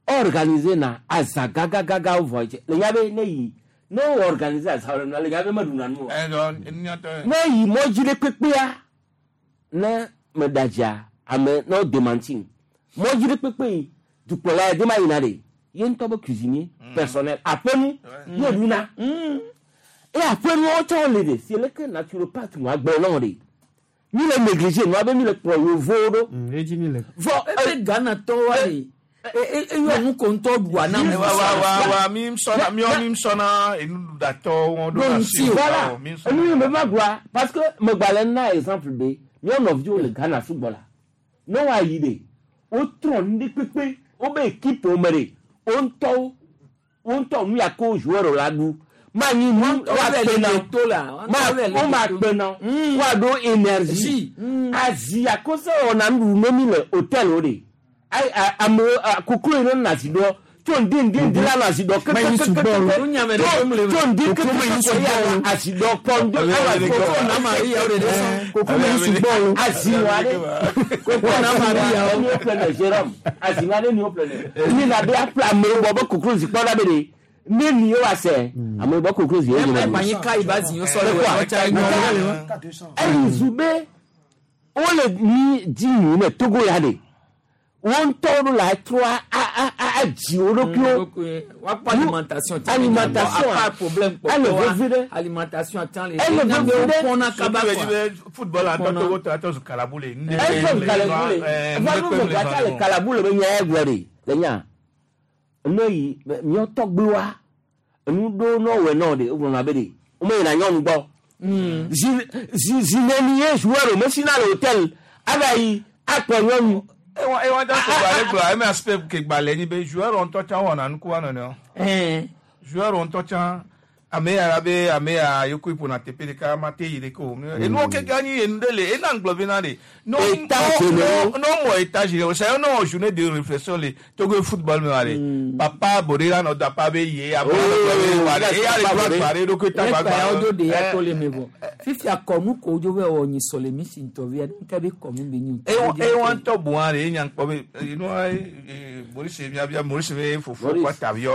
organiser na aza gagagaga vɔ dze le nya be ne yi ne wo organiser aza wɔ na le nya be meɖuna nu o. Ɛ dɔn nyɔtɔ. Ne yi mɔdzi ɖe kpekpea ne meɖa dzia ame ne wo demanti mɔdzi ɖe kpekpe yi dukplɔla yadema yina ɖe ye ŋutɔ be cuisinier personnel aƒenu ye ɖuna eye aƒenuwo tsɔ le ɖe si leke naturopathe nua gblɔ na wo ɖe mi le négliger nua be mi le kplɔ yevowo ɖo Edzi mi le. vɔ Ebe Ghana tɔ wa le eyɔ nu ko ŋutɔ ɖua na Wa wa wa wa mi sɔna mi mi sɔna enuɖuɖatɔ wɔn do Ɖo na ŋuti si. o. Voilà. Mi sɔna. Enu yi me va gblɔa parce que megbalẽ na exemple be míawo nɔviwo le Ghana sugbɔ la ne woayi ɖe wotrɔ nu ɖe kpekpe wobe équipe wo me ɖe wo ŋutɔwo wo ŋutɔ nu ya ko joueur la ɖu manyi nu woakpe na to la. ma wo ma kpe na woaɖo énergie azi akose wɔna nuɖuɖu ne mi le hôtel wo ɖe ayi amewo koklo yi ne nɔ asi ɖɔ tso ŋdi ŋdi ŋdi la nɔ asi ɖɔ kekekeke Nu nyame ɖe ƒom le tso ŋdi kekeke ya nɔ asi ɖɔ kpɔ ŋdi Koko na Maria o de ɖe sɔn. Koko me sugbɔ o. azi wa ɖe koko na Maria o ni o ƒle ne Jérôme azi wa ɖe ni o ƒle ne mi na be aƒle amewo gbɔ be koklo zi kpɔ ɖa be ɖe ne ni ye wa sɛ amewo gbɔ koklo zi ye Ɛ nyina gbanyi ka yi ba zi yɔ sɔ le wɔ ɛtsa nyɔ. eyi zu be wole mi dzi nyui ne Togo ya ɖe wo ŋutɔwo ɖo la trɔ a a a adzi wo ɖokuiwo Wakpɔ alimentation ti Alimentation. Apa problème Ele kpɔtɔ vevi ɖe. wa alimentation tan le. Ele vevi ɖe. Kpɔna kaba Surtout quoi. be football atɔ Togo tɔ atɔ zu kalabu le. Efo kalabu le va nu me gba le kalabu le be nya ye gblɔ ɖe le nya ne yi míawo tɔgbuiwoa enu ɖewo ne wɔe na wo ɖe wogblɔna be ɖe womeyina nyɔnu gbɔ zi zi zi neni ye joueur o mesina le hôtel ava yi akplɔ nyɔnu Ewa ewa da ko gbalẽ gblɔ eme aspect ke gbalẽ nyi be joueur ŋutɔ tsã wɔna nuku wa nɔnɔewo. Ɛn. Joueur ŋutɔ tsã ame ya la be ame ya yoko ƒona teƒe ɖeka ma te yi ɖeke o. Enuwo keke anyi enu ɖe le ena ŋgblɔ be na ɖe. No Étage no no mɔ étage le o c'est un journée de réflexion le Togo football me wa ɖe. Papa Bode la nɔ da pa be ye ame la nɔ be wa ɖe eya le gblɔ gba ɖe eɖokui ta Ne gba kpa ya wo do de ya gba. to le me vɔ. Fifia kɔnu ko dzo be wɔ nyi sɔlemi si ŋutɔ via nke be kɔnu be nyi. Ewa ŋutɔ bu hã ɖe enya ŋkpɔ be enua Maurice miabia Maurice be fofo Maurice. kɔ taviɔ.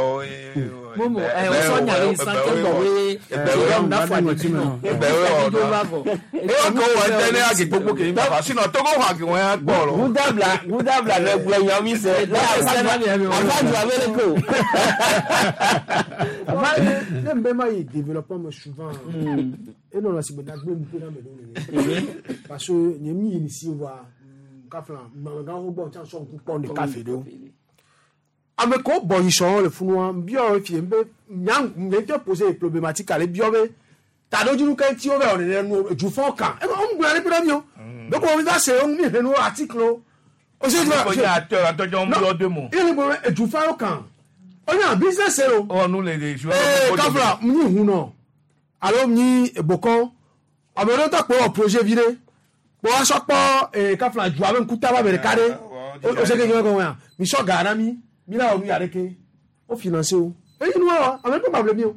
Momo ɛ wosɔ nya ɖe san ke gbɔ be Jérôme na fɔ adi nɔ. Ewa Dzo va vɔ. ko wɔ ŋutɛ ne agi gbogbo ke mi fa sinɔ Togo xɔ agi wɔn ya gbɔ lɔ. gudabla gudabla ne gblɔ nya mi se ne afa du abe le ko Ne mbɛ ma yi développement me souvent. E nɔnɔ si be na gbe ŋku na me ɖo nene. Parce que nye mi yi ni si wa kafla mamegãwo gbɔ tsa sɔ ŋku kpɔ ɖeka fe ɖo. Ame kewo bɔ yi sɔn le funua biɔ fie be nya nye ŋutɔ pose problématique ale biɔ be taɖodzinu ke ŋuti wo va wɔ nene nu dzufɔ kan. Ebe wo ŋgblɔ ɖe ƒe ɖe mi o. Be ko mi va se wo mi hlẽ nu article o. O se tu Ko nye acteur atɔjɔ ń yɔ deux mots. Ile gbɔ edufa yɔ kan. O nya business ye o. Ɔ nu le de joueur. Ee kafla nyi hunɔ alo nyi bokɔ ame ɖewo tɔ kpɔ wɔ projet vi ɖe kpɔ asɔ kpɔ ee kafla dua be ŋkuta ba be ɖeka ɖe o se ke nyɔ gɔme ya mi sɔ ga na mi mi la wɔ nu ya ɖeke o finance o eyi nu wa ame ɖe ma ble mi o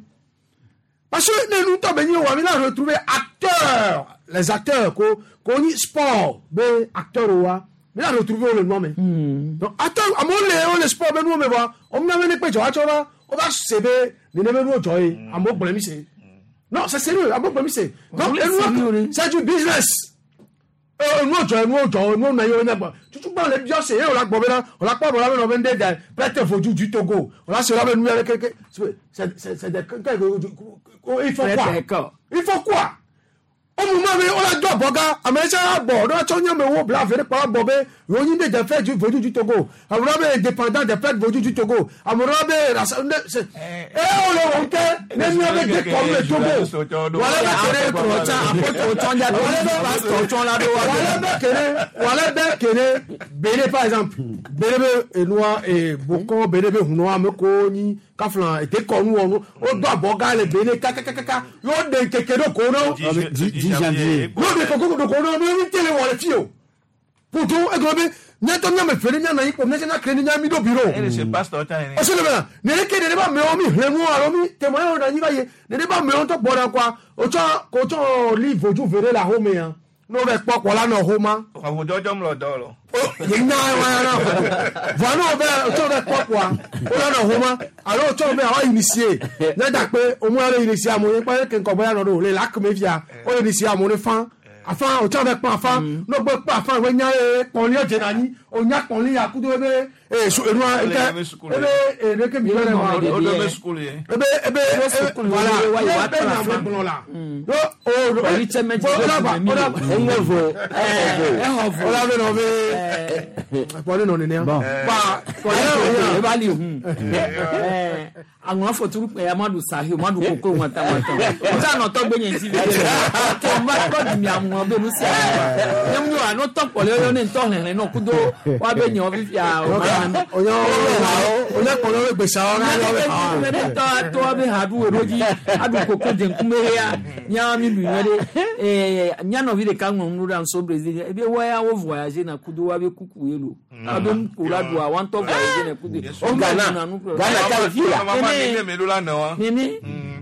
parce que ne nu tɔ be nyi wa mi la retrouver acteur les acteurs ko ko nyi sport be acteur wa mi la retrouver wo le nua me donc acteur amewo le wo le sport be nuwo me vɔa wo mia be ne kpe dzɔ wa tsɔ va wo va se be nene be nuwo dzɔ ye amewo gblɔe mi se non c'est sérieux amewo gblɔe mi se donc enua c'est du business enuwo dzɔ enuwo dzɔ enuwo nɔ ye wo nya gbɔ tutu gbɔ le biɔ se ye wòle gbɔ bena wòle kpɔ bɔ la be nɔ be ŋɖe da prêtre vodu du Togo wòle se la be nu ya ɖe keke c'est des il faut quoi il faut quoi au moment be wòle do abɔga ame tse abɔ ɖo tsɔ nye me wo bla ve ɖe kpɔ abɔ be yewo nyi ɖe des frères du vodu du Togo ame ɖewo be indépendant des frères vodu du Togo ame ɖewo be rasa ne se e wòle wɔm ke ne mía be dekɔnu le Togo wòle be kere wòle be kere wòle be kere Bene par exemple Bene be enua ee bokɔ Bene be hunɔ ame ko nyi kafla dekɔnu wɔnu wodo abɔga le Bene kakakaka yóò ɖe nkeke ɖo ko no 10 janvier. yóò ɖe koko ɖo ko no mi mi tele wɔ le fi o poto egblɔ be míatɔ míame fe ɖe míanɔ anyi kpɔ míatse míakle ne míami ɖo bureau E le se pasteur ta yɛrɛ. ɔsɛ le bena nene ke nene ba amewo mi hlẽ nu alo mi témoin wo ɖe anyi va yi nene ba amewo ŋutɔ gbɔ ɖe kɔa wotsɔ wotsɔ li vodu ve ɖe le axome ya ne wo va kpɔ kpɔ la nɔ xoma Àwùjọ jọ ń lọ dọ́ lọ. nya wa ya na vɔa ne wo va wotsɔ va kpɔ kpɔa wo la nɔ xoma alo wotsɔ be awa initier ne da kpe omu ya le initier amewo kpɔ ke ŋkɔ bɔ ya nɔ ɖo le lac me fia wo le initier amewo ne fan afa wotsɔ va kpɔ afa ne wo gbɔ kpɔ afa wo nya ye kpɔli dze na anyi o nya kpɔli ya kudo ebe ee su enua eke ebe ee ne ke mi yɔ ne ma O do bɛ sukulu ye. ebe ebe ebe voilà ne be nya be gblɔ la yo o o la be nɔ be kpɔli nɔ nenea ba kpɔli nɔ eba li hun àwọn afọturu pẹ amadu sahi amadu koko wọn ta wọn tán wọn sá nà tọgbẹ yẹn ti lè tó wọn bá tọ́ di mi àwọn bẹ́ẹ̀ nusi àwọn wa nyɛ mu àná tọ́ pọ̀lẹ́ yọ ní ntọ́ hẹ̀hẹ̀ náà kudo wọn bẹ nyɛ wọn fífi àwọn onye onye kpɔlɔ bɛ gbèsè awɔ n'a yɔ bɛ mɛ ne tɔ tɔ bɛ ha du wɛrɛ dzi adu koko dzeŋkume ya miawo mi lu nyuie ɖe ee mianɔvi ɖeka ŋlɔ nu ɖe anso Brésil ebe wa ya wo voyage na kudo wa be kuku ye lo wa be nuko la doa wa ŋutɔ voyage na kudo O Ghana. Ghana ta le fi la. Mama nene me ɖo la nɔ wa. Nene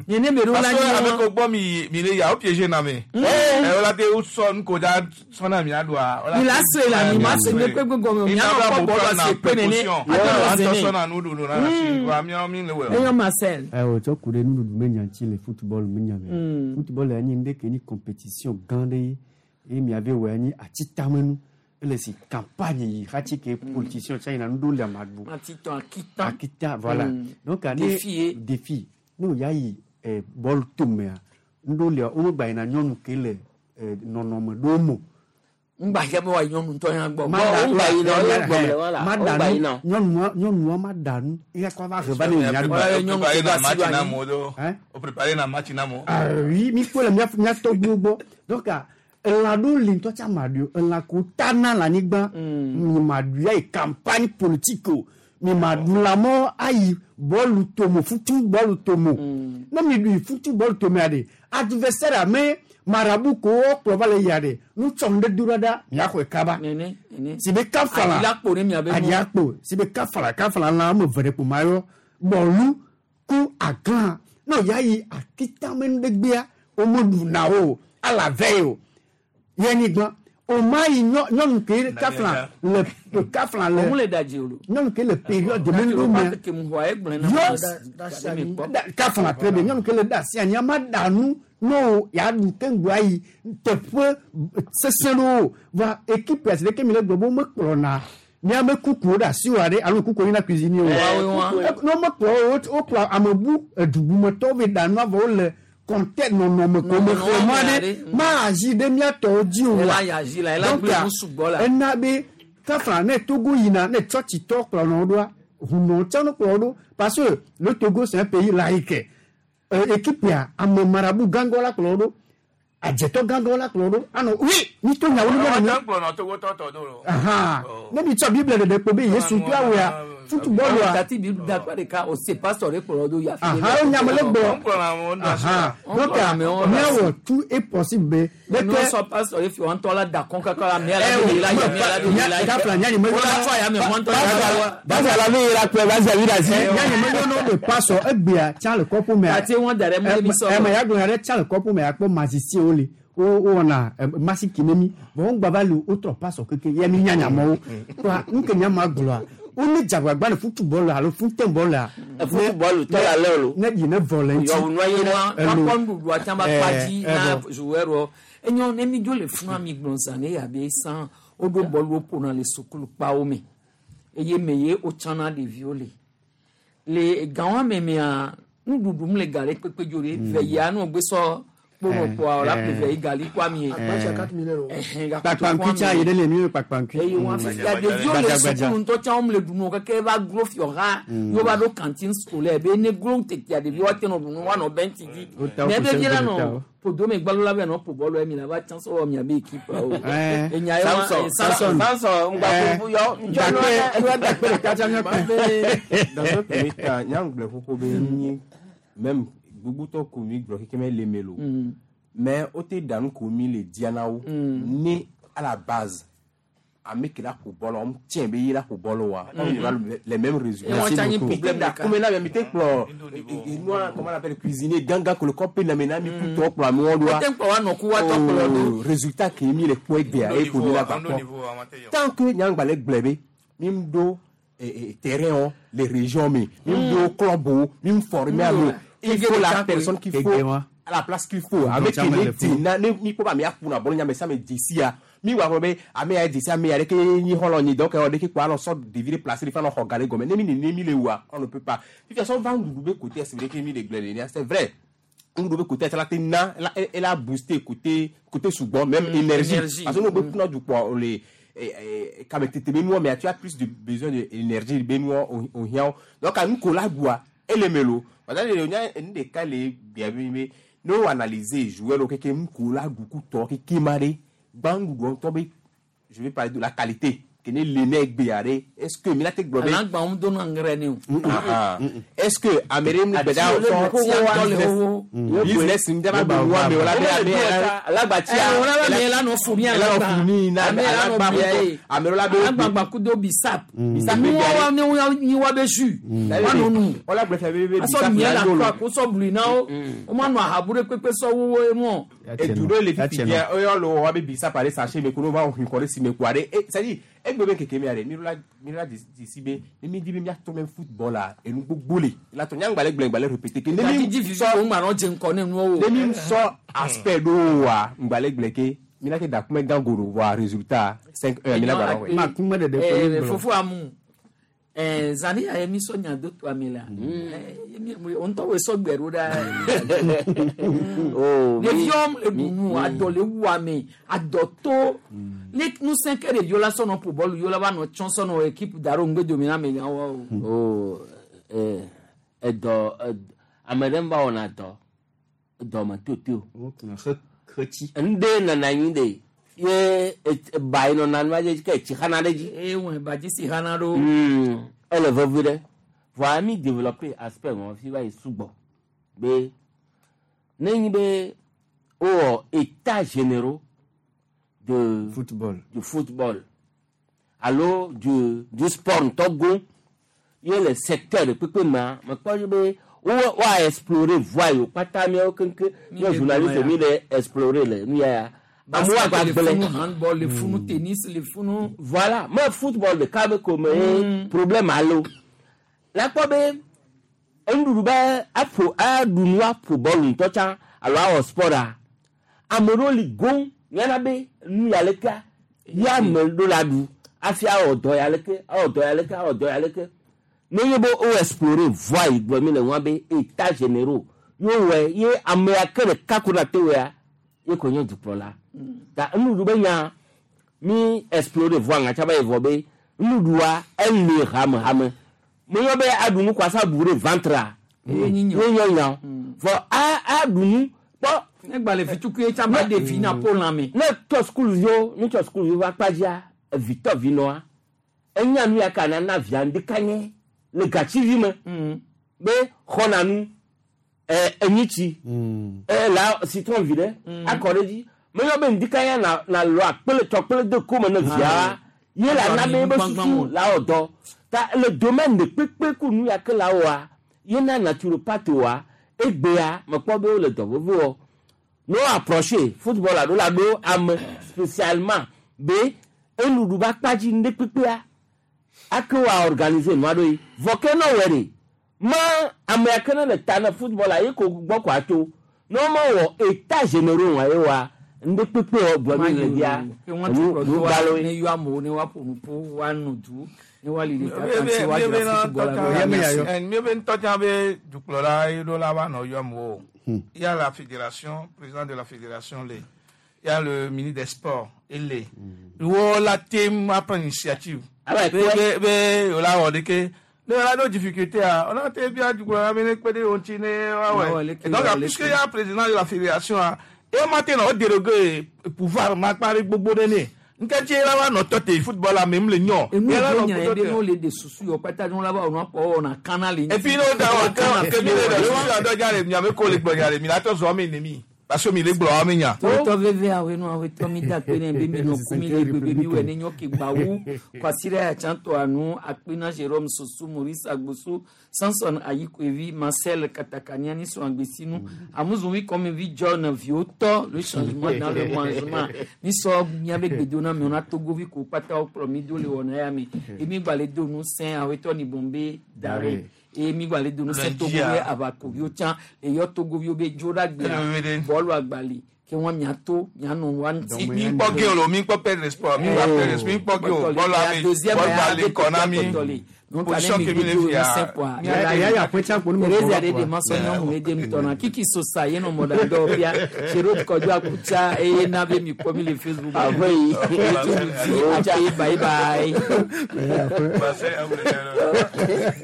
nene me ɖo la Parce que nyi ame wa. ko gbɔ mi mi le ya o piégé na me. Ɛ o la te o sɔ nu ko da sɔnna mi aɖua. Mi la se la mi ma se ne kpekpe gɔme o mi anɔ kpɔ bɔlɔ se kpe nene Atɔ atɔ sɔnna zene. nuɖuɖu na si wa miawo mi le wɛ. Eyɔ Marcel. Ayiwa tsɔ ku ɖe nuɖuɖu me nya ŋuti le football me nya me. Football ya nye nu ɖe ke nyi compétition gã ɖe ye eye miave wɔ ya nye atitamenu. Ele si campagne yi xatsi ke politicien tsa yina nuɖewo le ama ɖu. Atitɔ akita. Akita voilà. Donc ane Défi ye. défi ne wo ya yi bɔl tomea nuɖewo lia womegba yina nyɔnu ke le nɔnɔme ɖewo me o. Ŋgba yɛ bɛ wa nyɔnu ŋutɔ ya gbɔ. Ma Bon, da- ŋgba yina, ma- ŋgba yina, wala, ma da ŋgba nu- yina. nyɔnua nyɔnua ma da nu eya kɔ va he va ne nya ɖu. Wala nyɔnu Préparé ke na va si match ɖo na anyi. mo do. Hein? O préparé na match na mo. Ah oui, mi kpɔ le mía mía tɔgbuiwo gbɔ. Donc ah, elã ɖewo li ŋutɔ tsa ma ɖui o. Elã ko tana le anyigba. Mi ma ɖui ayi campagne politique o. Mi ma ɖu lãmɔ ayi bɔlu tomo futu bɔlu tomo. Ne mi ɖui futu bɔlu tomea ɖe, adversaire ame marabu ko wokplɔ va le yia ɖe, nutsɔnu ɖe do ɖa ɖa, miaxɔe kaba. Nene nene. Si be kafala. Aɖi la kpo ne miabe nu. Aɖi akpo. Si be kafala kafala lã ame eve ɖe kpo ma yɔ. Bɔlu ku aglã. Ne ya yi akitame nu ɖe gbea, womeɖuna o. Ala ve o. Ye nyi gbã. O ma yi nyɔ nyɔnu ke kafla le kafla le. Òun le ɖadzi o lo. Nyɔnu ke le période de menu mea. Ke mu xɔ egblẽ na. Yɔ Ɖe mi kpɔ. Kafla très bien. Nyɔnu ke le ɖe asi anyi ama ɖa nu ne o ya ɖu keŋgbo ayi teƒe sesẽ ɖewo. Va équipe asi ɖeke mi le gblɔ be womekplɔna míabe kukuwo ɖe asi wa ɖe alo kukuwo yina cuisinier o. Ne womekplɔ wo wokplɔ ame bu edubumetɔwo va ɖa nua vɔ wole kɔntɛ nɔnɔme ko me xɔ mɔ ɖe ma azi ɖe mía tɔwo dzi o Ela ya azi la, ela Donc, gblẽ nu sugbɔ la. ena be kafla ne Togo yina ne tsɔtsitɔ kplɔnɔ ɖoa hunɔ tsã no kplɔ ɖo parce que le Togo c'est un pays laïque. Équipe ya ame marabu gãgɔ la kplɔ ɖo. Adzetɔ gãgãwo la kplɔ ɖo anɔ wi mi to nyawo ne mi. Kplɔnɔ togotɔ tɔ do lo. Ahan ne mi tsɔ Bible ɖeɖe kpo be Yesu to awɔa football Tati bi da kpa ɖeka o se pastor ɖe kplɔ do ya. Ahan o nyame le gblɔ. Ahan donc miawɔ tout est possible be. Nínú sọ pastor yìí fi wọn tọ́ la da kɔn kankan la mi ala de la yẹ mi ala de la yẹ. Gafla nya nyime O la tɔ ya mi wọn tọ́ la. Basi ala mi yira kpɛ basi abi da si. Nya nyime nyɔnu de pastor egbea tsa le kɔƒo mea. Tati wọn da ɖe mɔ mi sɔ. Ɛmɛ ya gblɔ ya ɖe tsa le kɔƒo mea kpɔ magicien le wo wɔna masiki ne mi vɔ wo gbava le wotrɔ pastor keke ye mi nya nyamɔwo kpa nu ke nyama gblɔa wo ne dzagbagba le football alo football la. Football tɔ la lɛ o. Ne yi ne vɔ le ŋuti. Yɔwunua yi ne. Wakɔ nuɖuɖu atsã ba kpadzi na joueur wɔ. Enyo ne mi dzo le fún mi gblɔ zã ne yabe san woɖo bɔlu ƒona le sukulu kpawo me eye me ye wotsana ɖeviwo le le gãwo me mea nuɖuɖu mu le gali kpekpe dzo ɖe ve yia nu gbe sɔ kponɔ kpoa la ƒle ve yi gali kɔ ami ye. Kpakpankui tsa yi ɖe le mi kpakpankui. Eye wọn fifia ɖeviwo le sukulu ŋutɔ tsã wɔm le ɖunu keke va glo fiɔ ha yóò va ɖo cantine scolaire be ne glo tetea ɖeviwo ate nɔ ɖunu woanɔ bɛnti dzi mɛ be vi la nɔ podome gbalo la bɛ nɔ ƒo bɔlu mi la va tsã sɔwɔ mia be équipe o. Enya ye wa Samson Samson ŋgba ƒoƒu yɔ Dakpe ɖeka tsa míakpɛ. Dans un premier temps, nyangblɛ xoxo be nyi même gbogbotɔ ko mi gblɔ keke me le me lo. Mais o te danu ko mi le diana wo. Ne à la base ame ke la ƒo bɔlɔ wɔm tiɲɛ be ye la ƒo bɔlɔ wa. On aura les mêmes résultats. Et on t'a un problème Da comme là mi te kplɔ nua comment on appelle cuisinier ganga ko le kɔpe na me na mi ku tɔ kplɔ amewo ɖoa. Wote kplɔ wa nɔ ku wa tɔ kplɔ ɖo. Résultat ke mi le kpɔ egbea eye ko mi la va kpɔ. Tant que nyangba le gblɔ be mi ɖo terrain wo les régions me mi ɖo club wo mi former amewo. Il faut la personne qu'il faut à la place qu'il faut. Avec ne di na ne mi kpɔ be ame aƒuna bɔlu nya me sia me dze sia mi wà fɔ be ame ya dze si ame ya ɖeke nyi xɔlɔ nyi donc ɖeke kpɔ anɔ sɔ ɖevi ɖe place ɖe fi anɔ xɔ ga ɖe gɔme ne mi nene mi le wua on ne peut pas. Fifia sɔ va nuɖuɖu be côté c'est vrai que mi le gblẽ nenea c'est vrai nuɖuɖu be côté la te na la elle a boosté côté côté sugbɔ même énergie parce que n'o be kunna du kpɔ le kame tete be nuwɔ mais tu as plus de besoin de énergie be nuwɔ o hiã wo donc nu ko la ɖua ele me lo parce que nya nu ɖeka le bia bi be ne wo analyser joueur lo keke nu ko la ɖu kutɔ keke ma ɖe gbã nuɖuɖu ŋutɔ be je vais parler de la qualité ke ne le ne egbea ɖe est ce que mi la te gblɔ be. Alagba ŋu dona ŋrɛ ne o. Est ce que ame ɖe nu gbeda sɔ business ŋu daba gbe nua me o la be ame Alagba tia. Wọ́n bá mi lánàá fún mi alagba fún mi na alagba ame ɖe la be. Alagba kudo bisap. Bisap Ni wa ni wa be su. Wa nunu. Wọ́n la gblɔ fia be be Asɔ bisap miɛ la la do lo. kɔ ko sɔ bulu na wo. O ma nɔ ahabu ɖe kpekpe sɔ wowo enu. Edu ɖe le fifi dia eyɔ lo wa be bisap ale sachet me ko ne va hun kɔ ɖe si me kua ɖe e c'est à dire egbe be keke mia ɖe mi la mi la desi be ne mi di be miatrɔ mɛ football la enu gbogbo le la tɔ nyagba le gblẽ gba le répéter ke ne mi Didi vivi ko ŋgba nɔ dze ŋkɔ ne nuwo. ne mi sɔ aspect ɖo wa ŋgba le gblẽ ke mi la ke da kume gã go ɖo voa résultat 5-1 mi la gba ɖɔ Ma kume ɖeɖe kpe mi gblɔ. Fofo amu. Zani ya mi sɔ nya do to ame la. O ŋutɔ wo sɔ gbɛ ɖo ɖa. Ɖeviwo le ɖu nu adɔ le wu ame adɔ to ne ŋusẽ ke ɖeviwo la sɔ nɔ ƒo bɔlu yewo la va nɔ tsɔ sɔ nɔ équipe da ɖo ŋgbe domi na ame gãwo o. O edɔ ame ɖe va wɔna dɔ dɔme toto. Ŋɖe nana anyi de ye ba yi nɔna nua dzi ke etsi xana ɖe dzi. Eye wɔn badzi si xana ɖo. Ele vevi ɖe vɔa mi développer aspect wɔn fi va yi sugbɔ be ne nyi be wowɔ état généraux de football du football alo du sport ŋutɔ go ye le secteur de kpekpe mea mekpɔ dzi be wo woa explorer voie yiwo kpata miawo keŋkeŋ míawo journaliste mi le explorer le nu ya ya amewo Basket le agba funu gblẽ handball le funu tennis le funu. Voilà me football ɖeka be ko me ye problème alo la kpɔ be enuɖuɖu be aƒo aɖu nu aƒo bɔlu ŋutɔ tsã alo awɔ sport a ame ɖewo li goŋ miana be nu ya lekea ye ame ɖo la ɖu hafi awɔ dɔ ya leke awɔ dɔ ya leke awɔ dɔ ya leke ne nye be wo explorer voie yi gblɔ mi le ŋua be état généraux ye wowɔe ye ame ya ke ɖeka ko na te wɔea ye ko nye dukplɔla ta enuɖuɖu be nya mi explorer voie ŋatsa ba yi vɔ be nuɖuɖua ele hamehame meyɔ be aɖu nu kwasa bu ɖe ventre Ye nyi ye nye nya vɔ a aɖu nu kpɔ Ne gba le vitukui tsa ba ɖevi na po lãme. Ne tɔ sukuviwo ne tɔ sukuviwo va kpadzia evitɔ vinɔa enya nu ya ka na na via ŋdeka nye le gatsivi me be xɔna nu ɛ enyitsi ɛ la citron vi ɖe akɔ ɖe dzi meyɔ be ŋdeka ya na na lɔ akpele tsɔkpele de kome ne via ye la na be ebe susu la wɔ dɔ ta le domaine de kpekpe ku nu ya ke la wɔa ye na naturopathe wa egbea mekpɔ be wole dɔ veve wɔ no approché football alo la ɖo ame spécialement be enuɖu ba kpadzi ŋɖe kpekpea ake wa organiser nua ɖo yi vɔ ke ne wɔ ɖe ma ame ya ke ne le ta ne football ye ko gbɔ ko atso ne wo ma wɔ état généraux wa ye wa ŋɖe kpekpe wɔ gblɔ mi le dia nu nu gbalo ne ye. yɔ amewo ne woaƒo nu ƒo woano du ne woali ɖeka kanti woadzra football la Míebe ŋutɔ be dukplɔla ye ɖo la va nɔ yɔm o. Il y a la fédération, président de la fédération le. Il y a le ministre des sports, ele. Wo la tem a prendre initiative. Ah ouais, Be be be o la wɔ de ke ne la ɖo difficulté a, on a te bia dukplɔla be ne kpe ɖe wo ŋuti ne Ah ouais, wa le wɔ. ke Et donc wa, le puisque ke. il y a président de la fédération a, e ma te nɔ o dérogué pouvoir ma kpa ɖe gbogbo ɖe ne. Nkɛtsi la va nɔ tɔ te football la me mu le nyɔ. Enu Ye la yi nɔ nya tɔ ye te. be ne wole de susu yɔ kpata ne wola va wɔ nua kpɔ wɔna kana le Et puis nous avons que mi le susu adɔ dza le miame ko le gblɔ nya le mi la tɔ zɔ mi nemi parce que mi le gblɔ mi nya. tɔtɔ veve awo nu awo tɔ mi da kpe ne be mi nɔ ku mi le gbegbe mi wɔ ne nyɔ ke gbawu kwasi ɖe atsa tɔ anu akpena Jérôme Sosu Maurice Agbosu Samson Ayikoevi Marcel Katakaniani sɔn agbesinu amuzuwi kɔmivi John viwo tɔ le changement dans le mangement mi sɔ miabe gbedona mi wɔna togovi ko kpata wo kplɔ mi do le wɔna ya mi emi gba le do nu sɛn awo tɔ ni bombe dare emi gba le do nu sɛn Lundi, togovi ah. abakoviwo tsã eyɔ togoviwo be dzo ɖe agbea Ele bɔlu agbali ke wọn miato mianɔ wa ŋuti. Mi kpɔ ge o lo mi kpɔ perdre sport mi va perdre sport mi kpɔ ge o bɔlu ame bɔlu ba le kɔ na mi position ke mi le fia. Teresa de de masɔ nyɔnu ye dem tɔna kiki sosa ye nɔ mɔɖa dɔw bia Jérôme Kɔdjo Akutsa eye na be mi kpɔ mi le Facebook. Avoyi. Ati bye bye.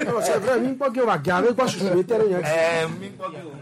Non, c'est vrai, mi kpɔ ke wa gã be kpɔ susu be tɛ ɖe nya. Ɛɛ mi kpɔ ge o.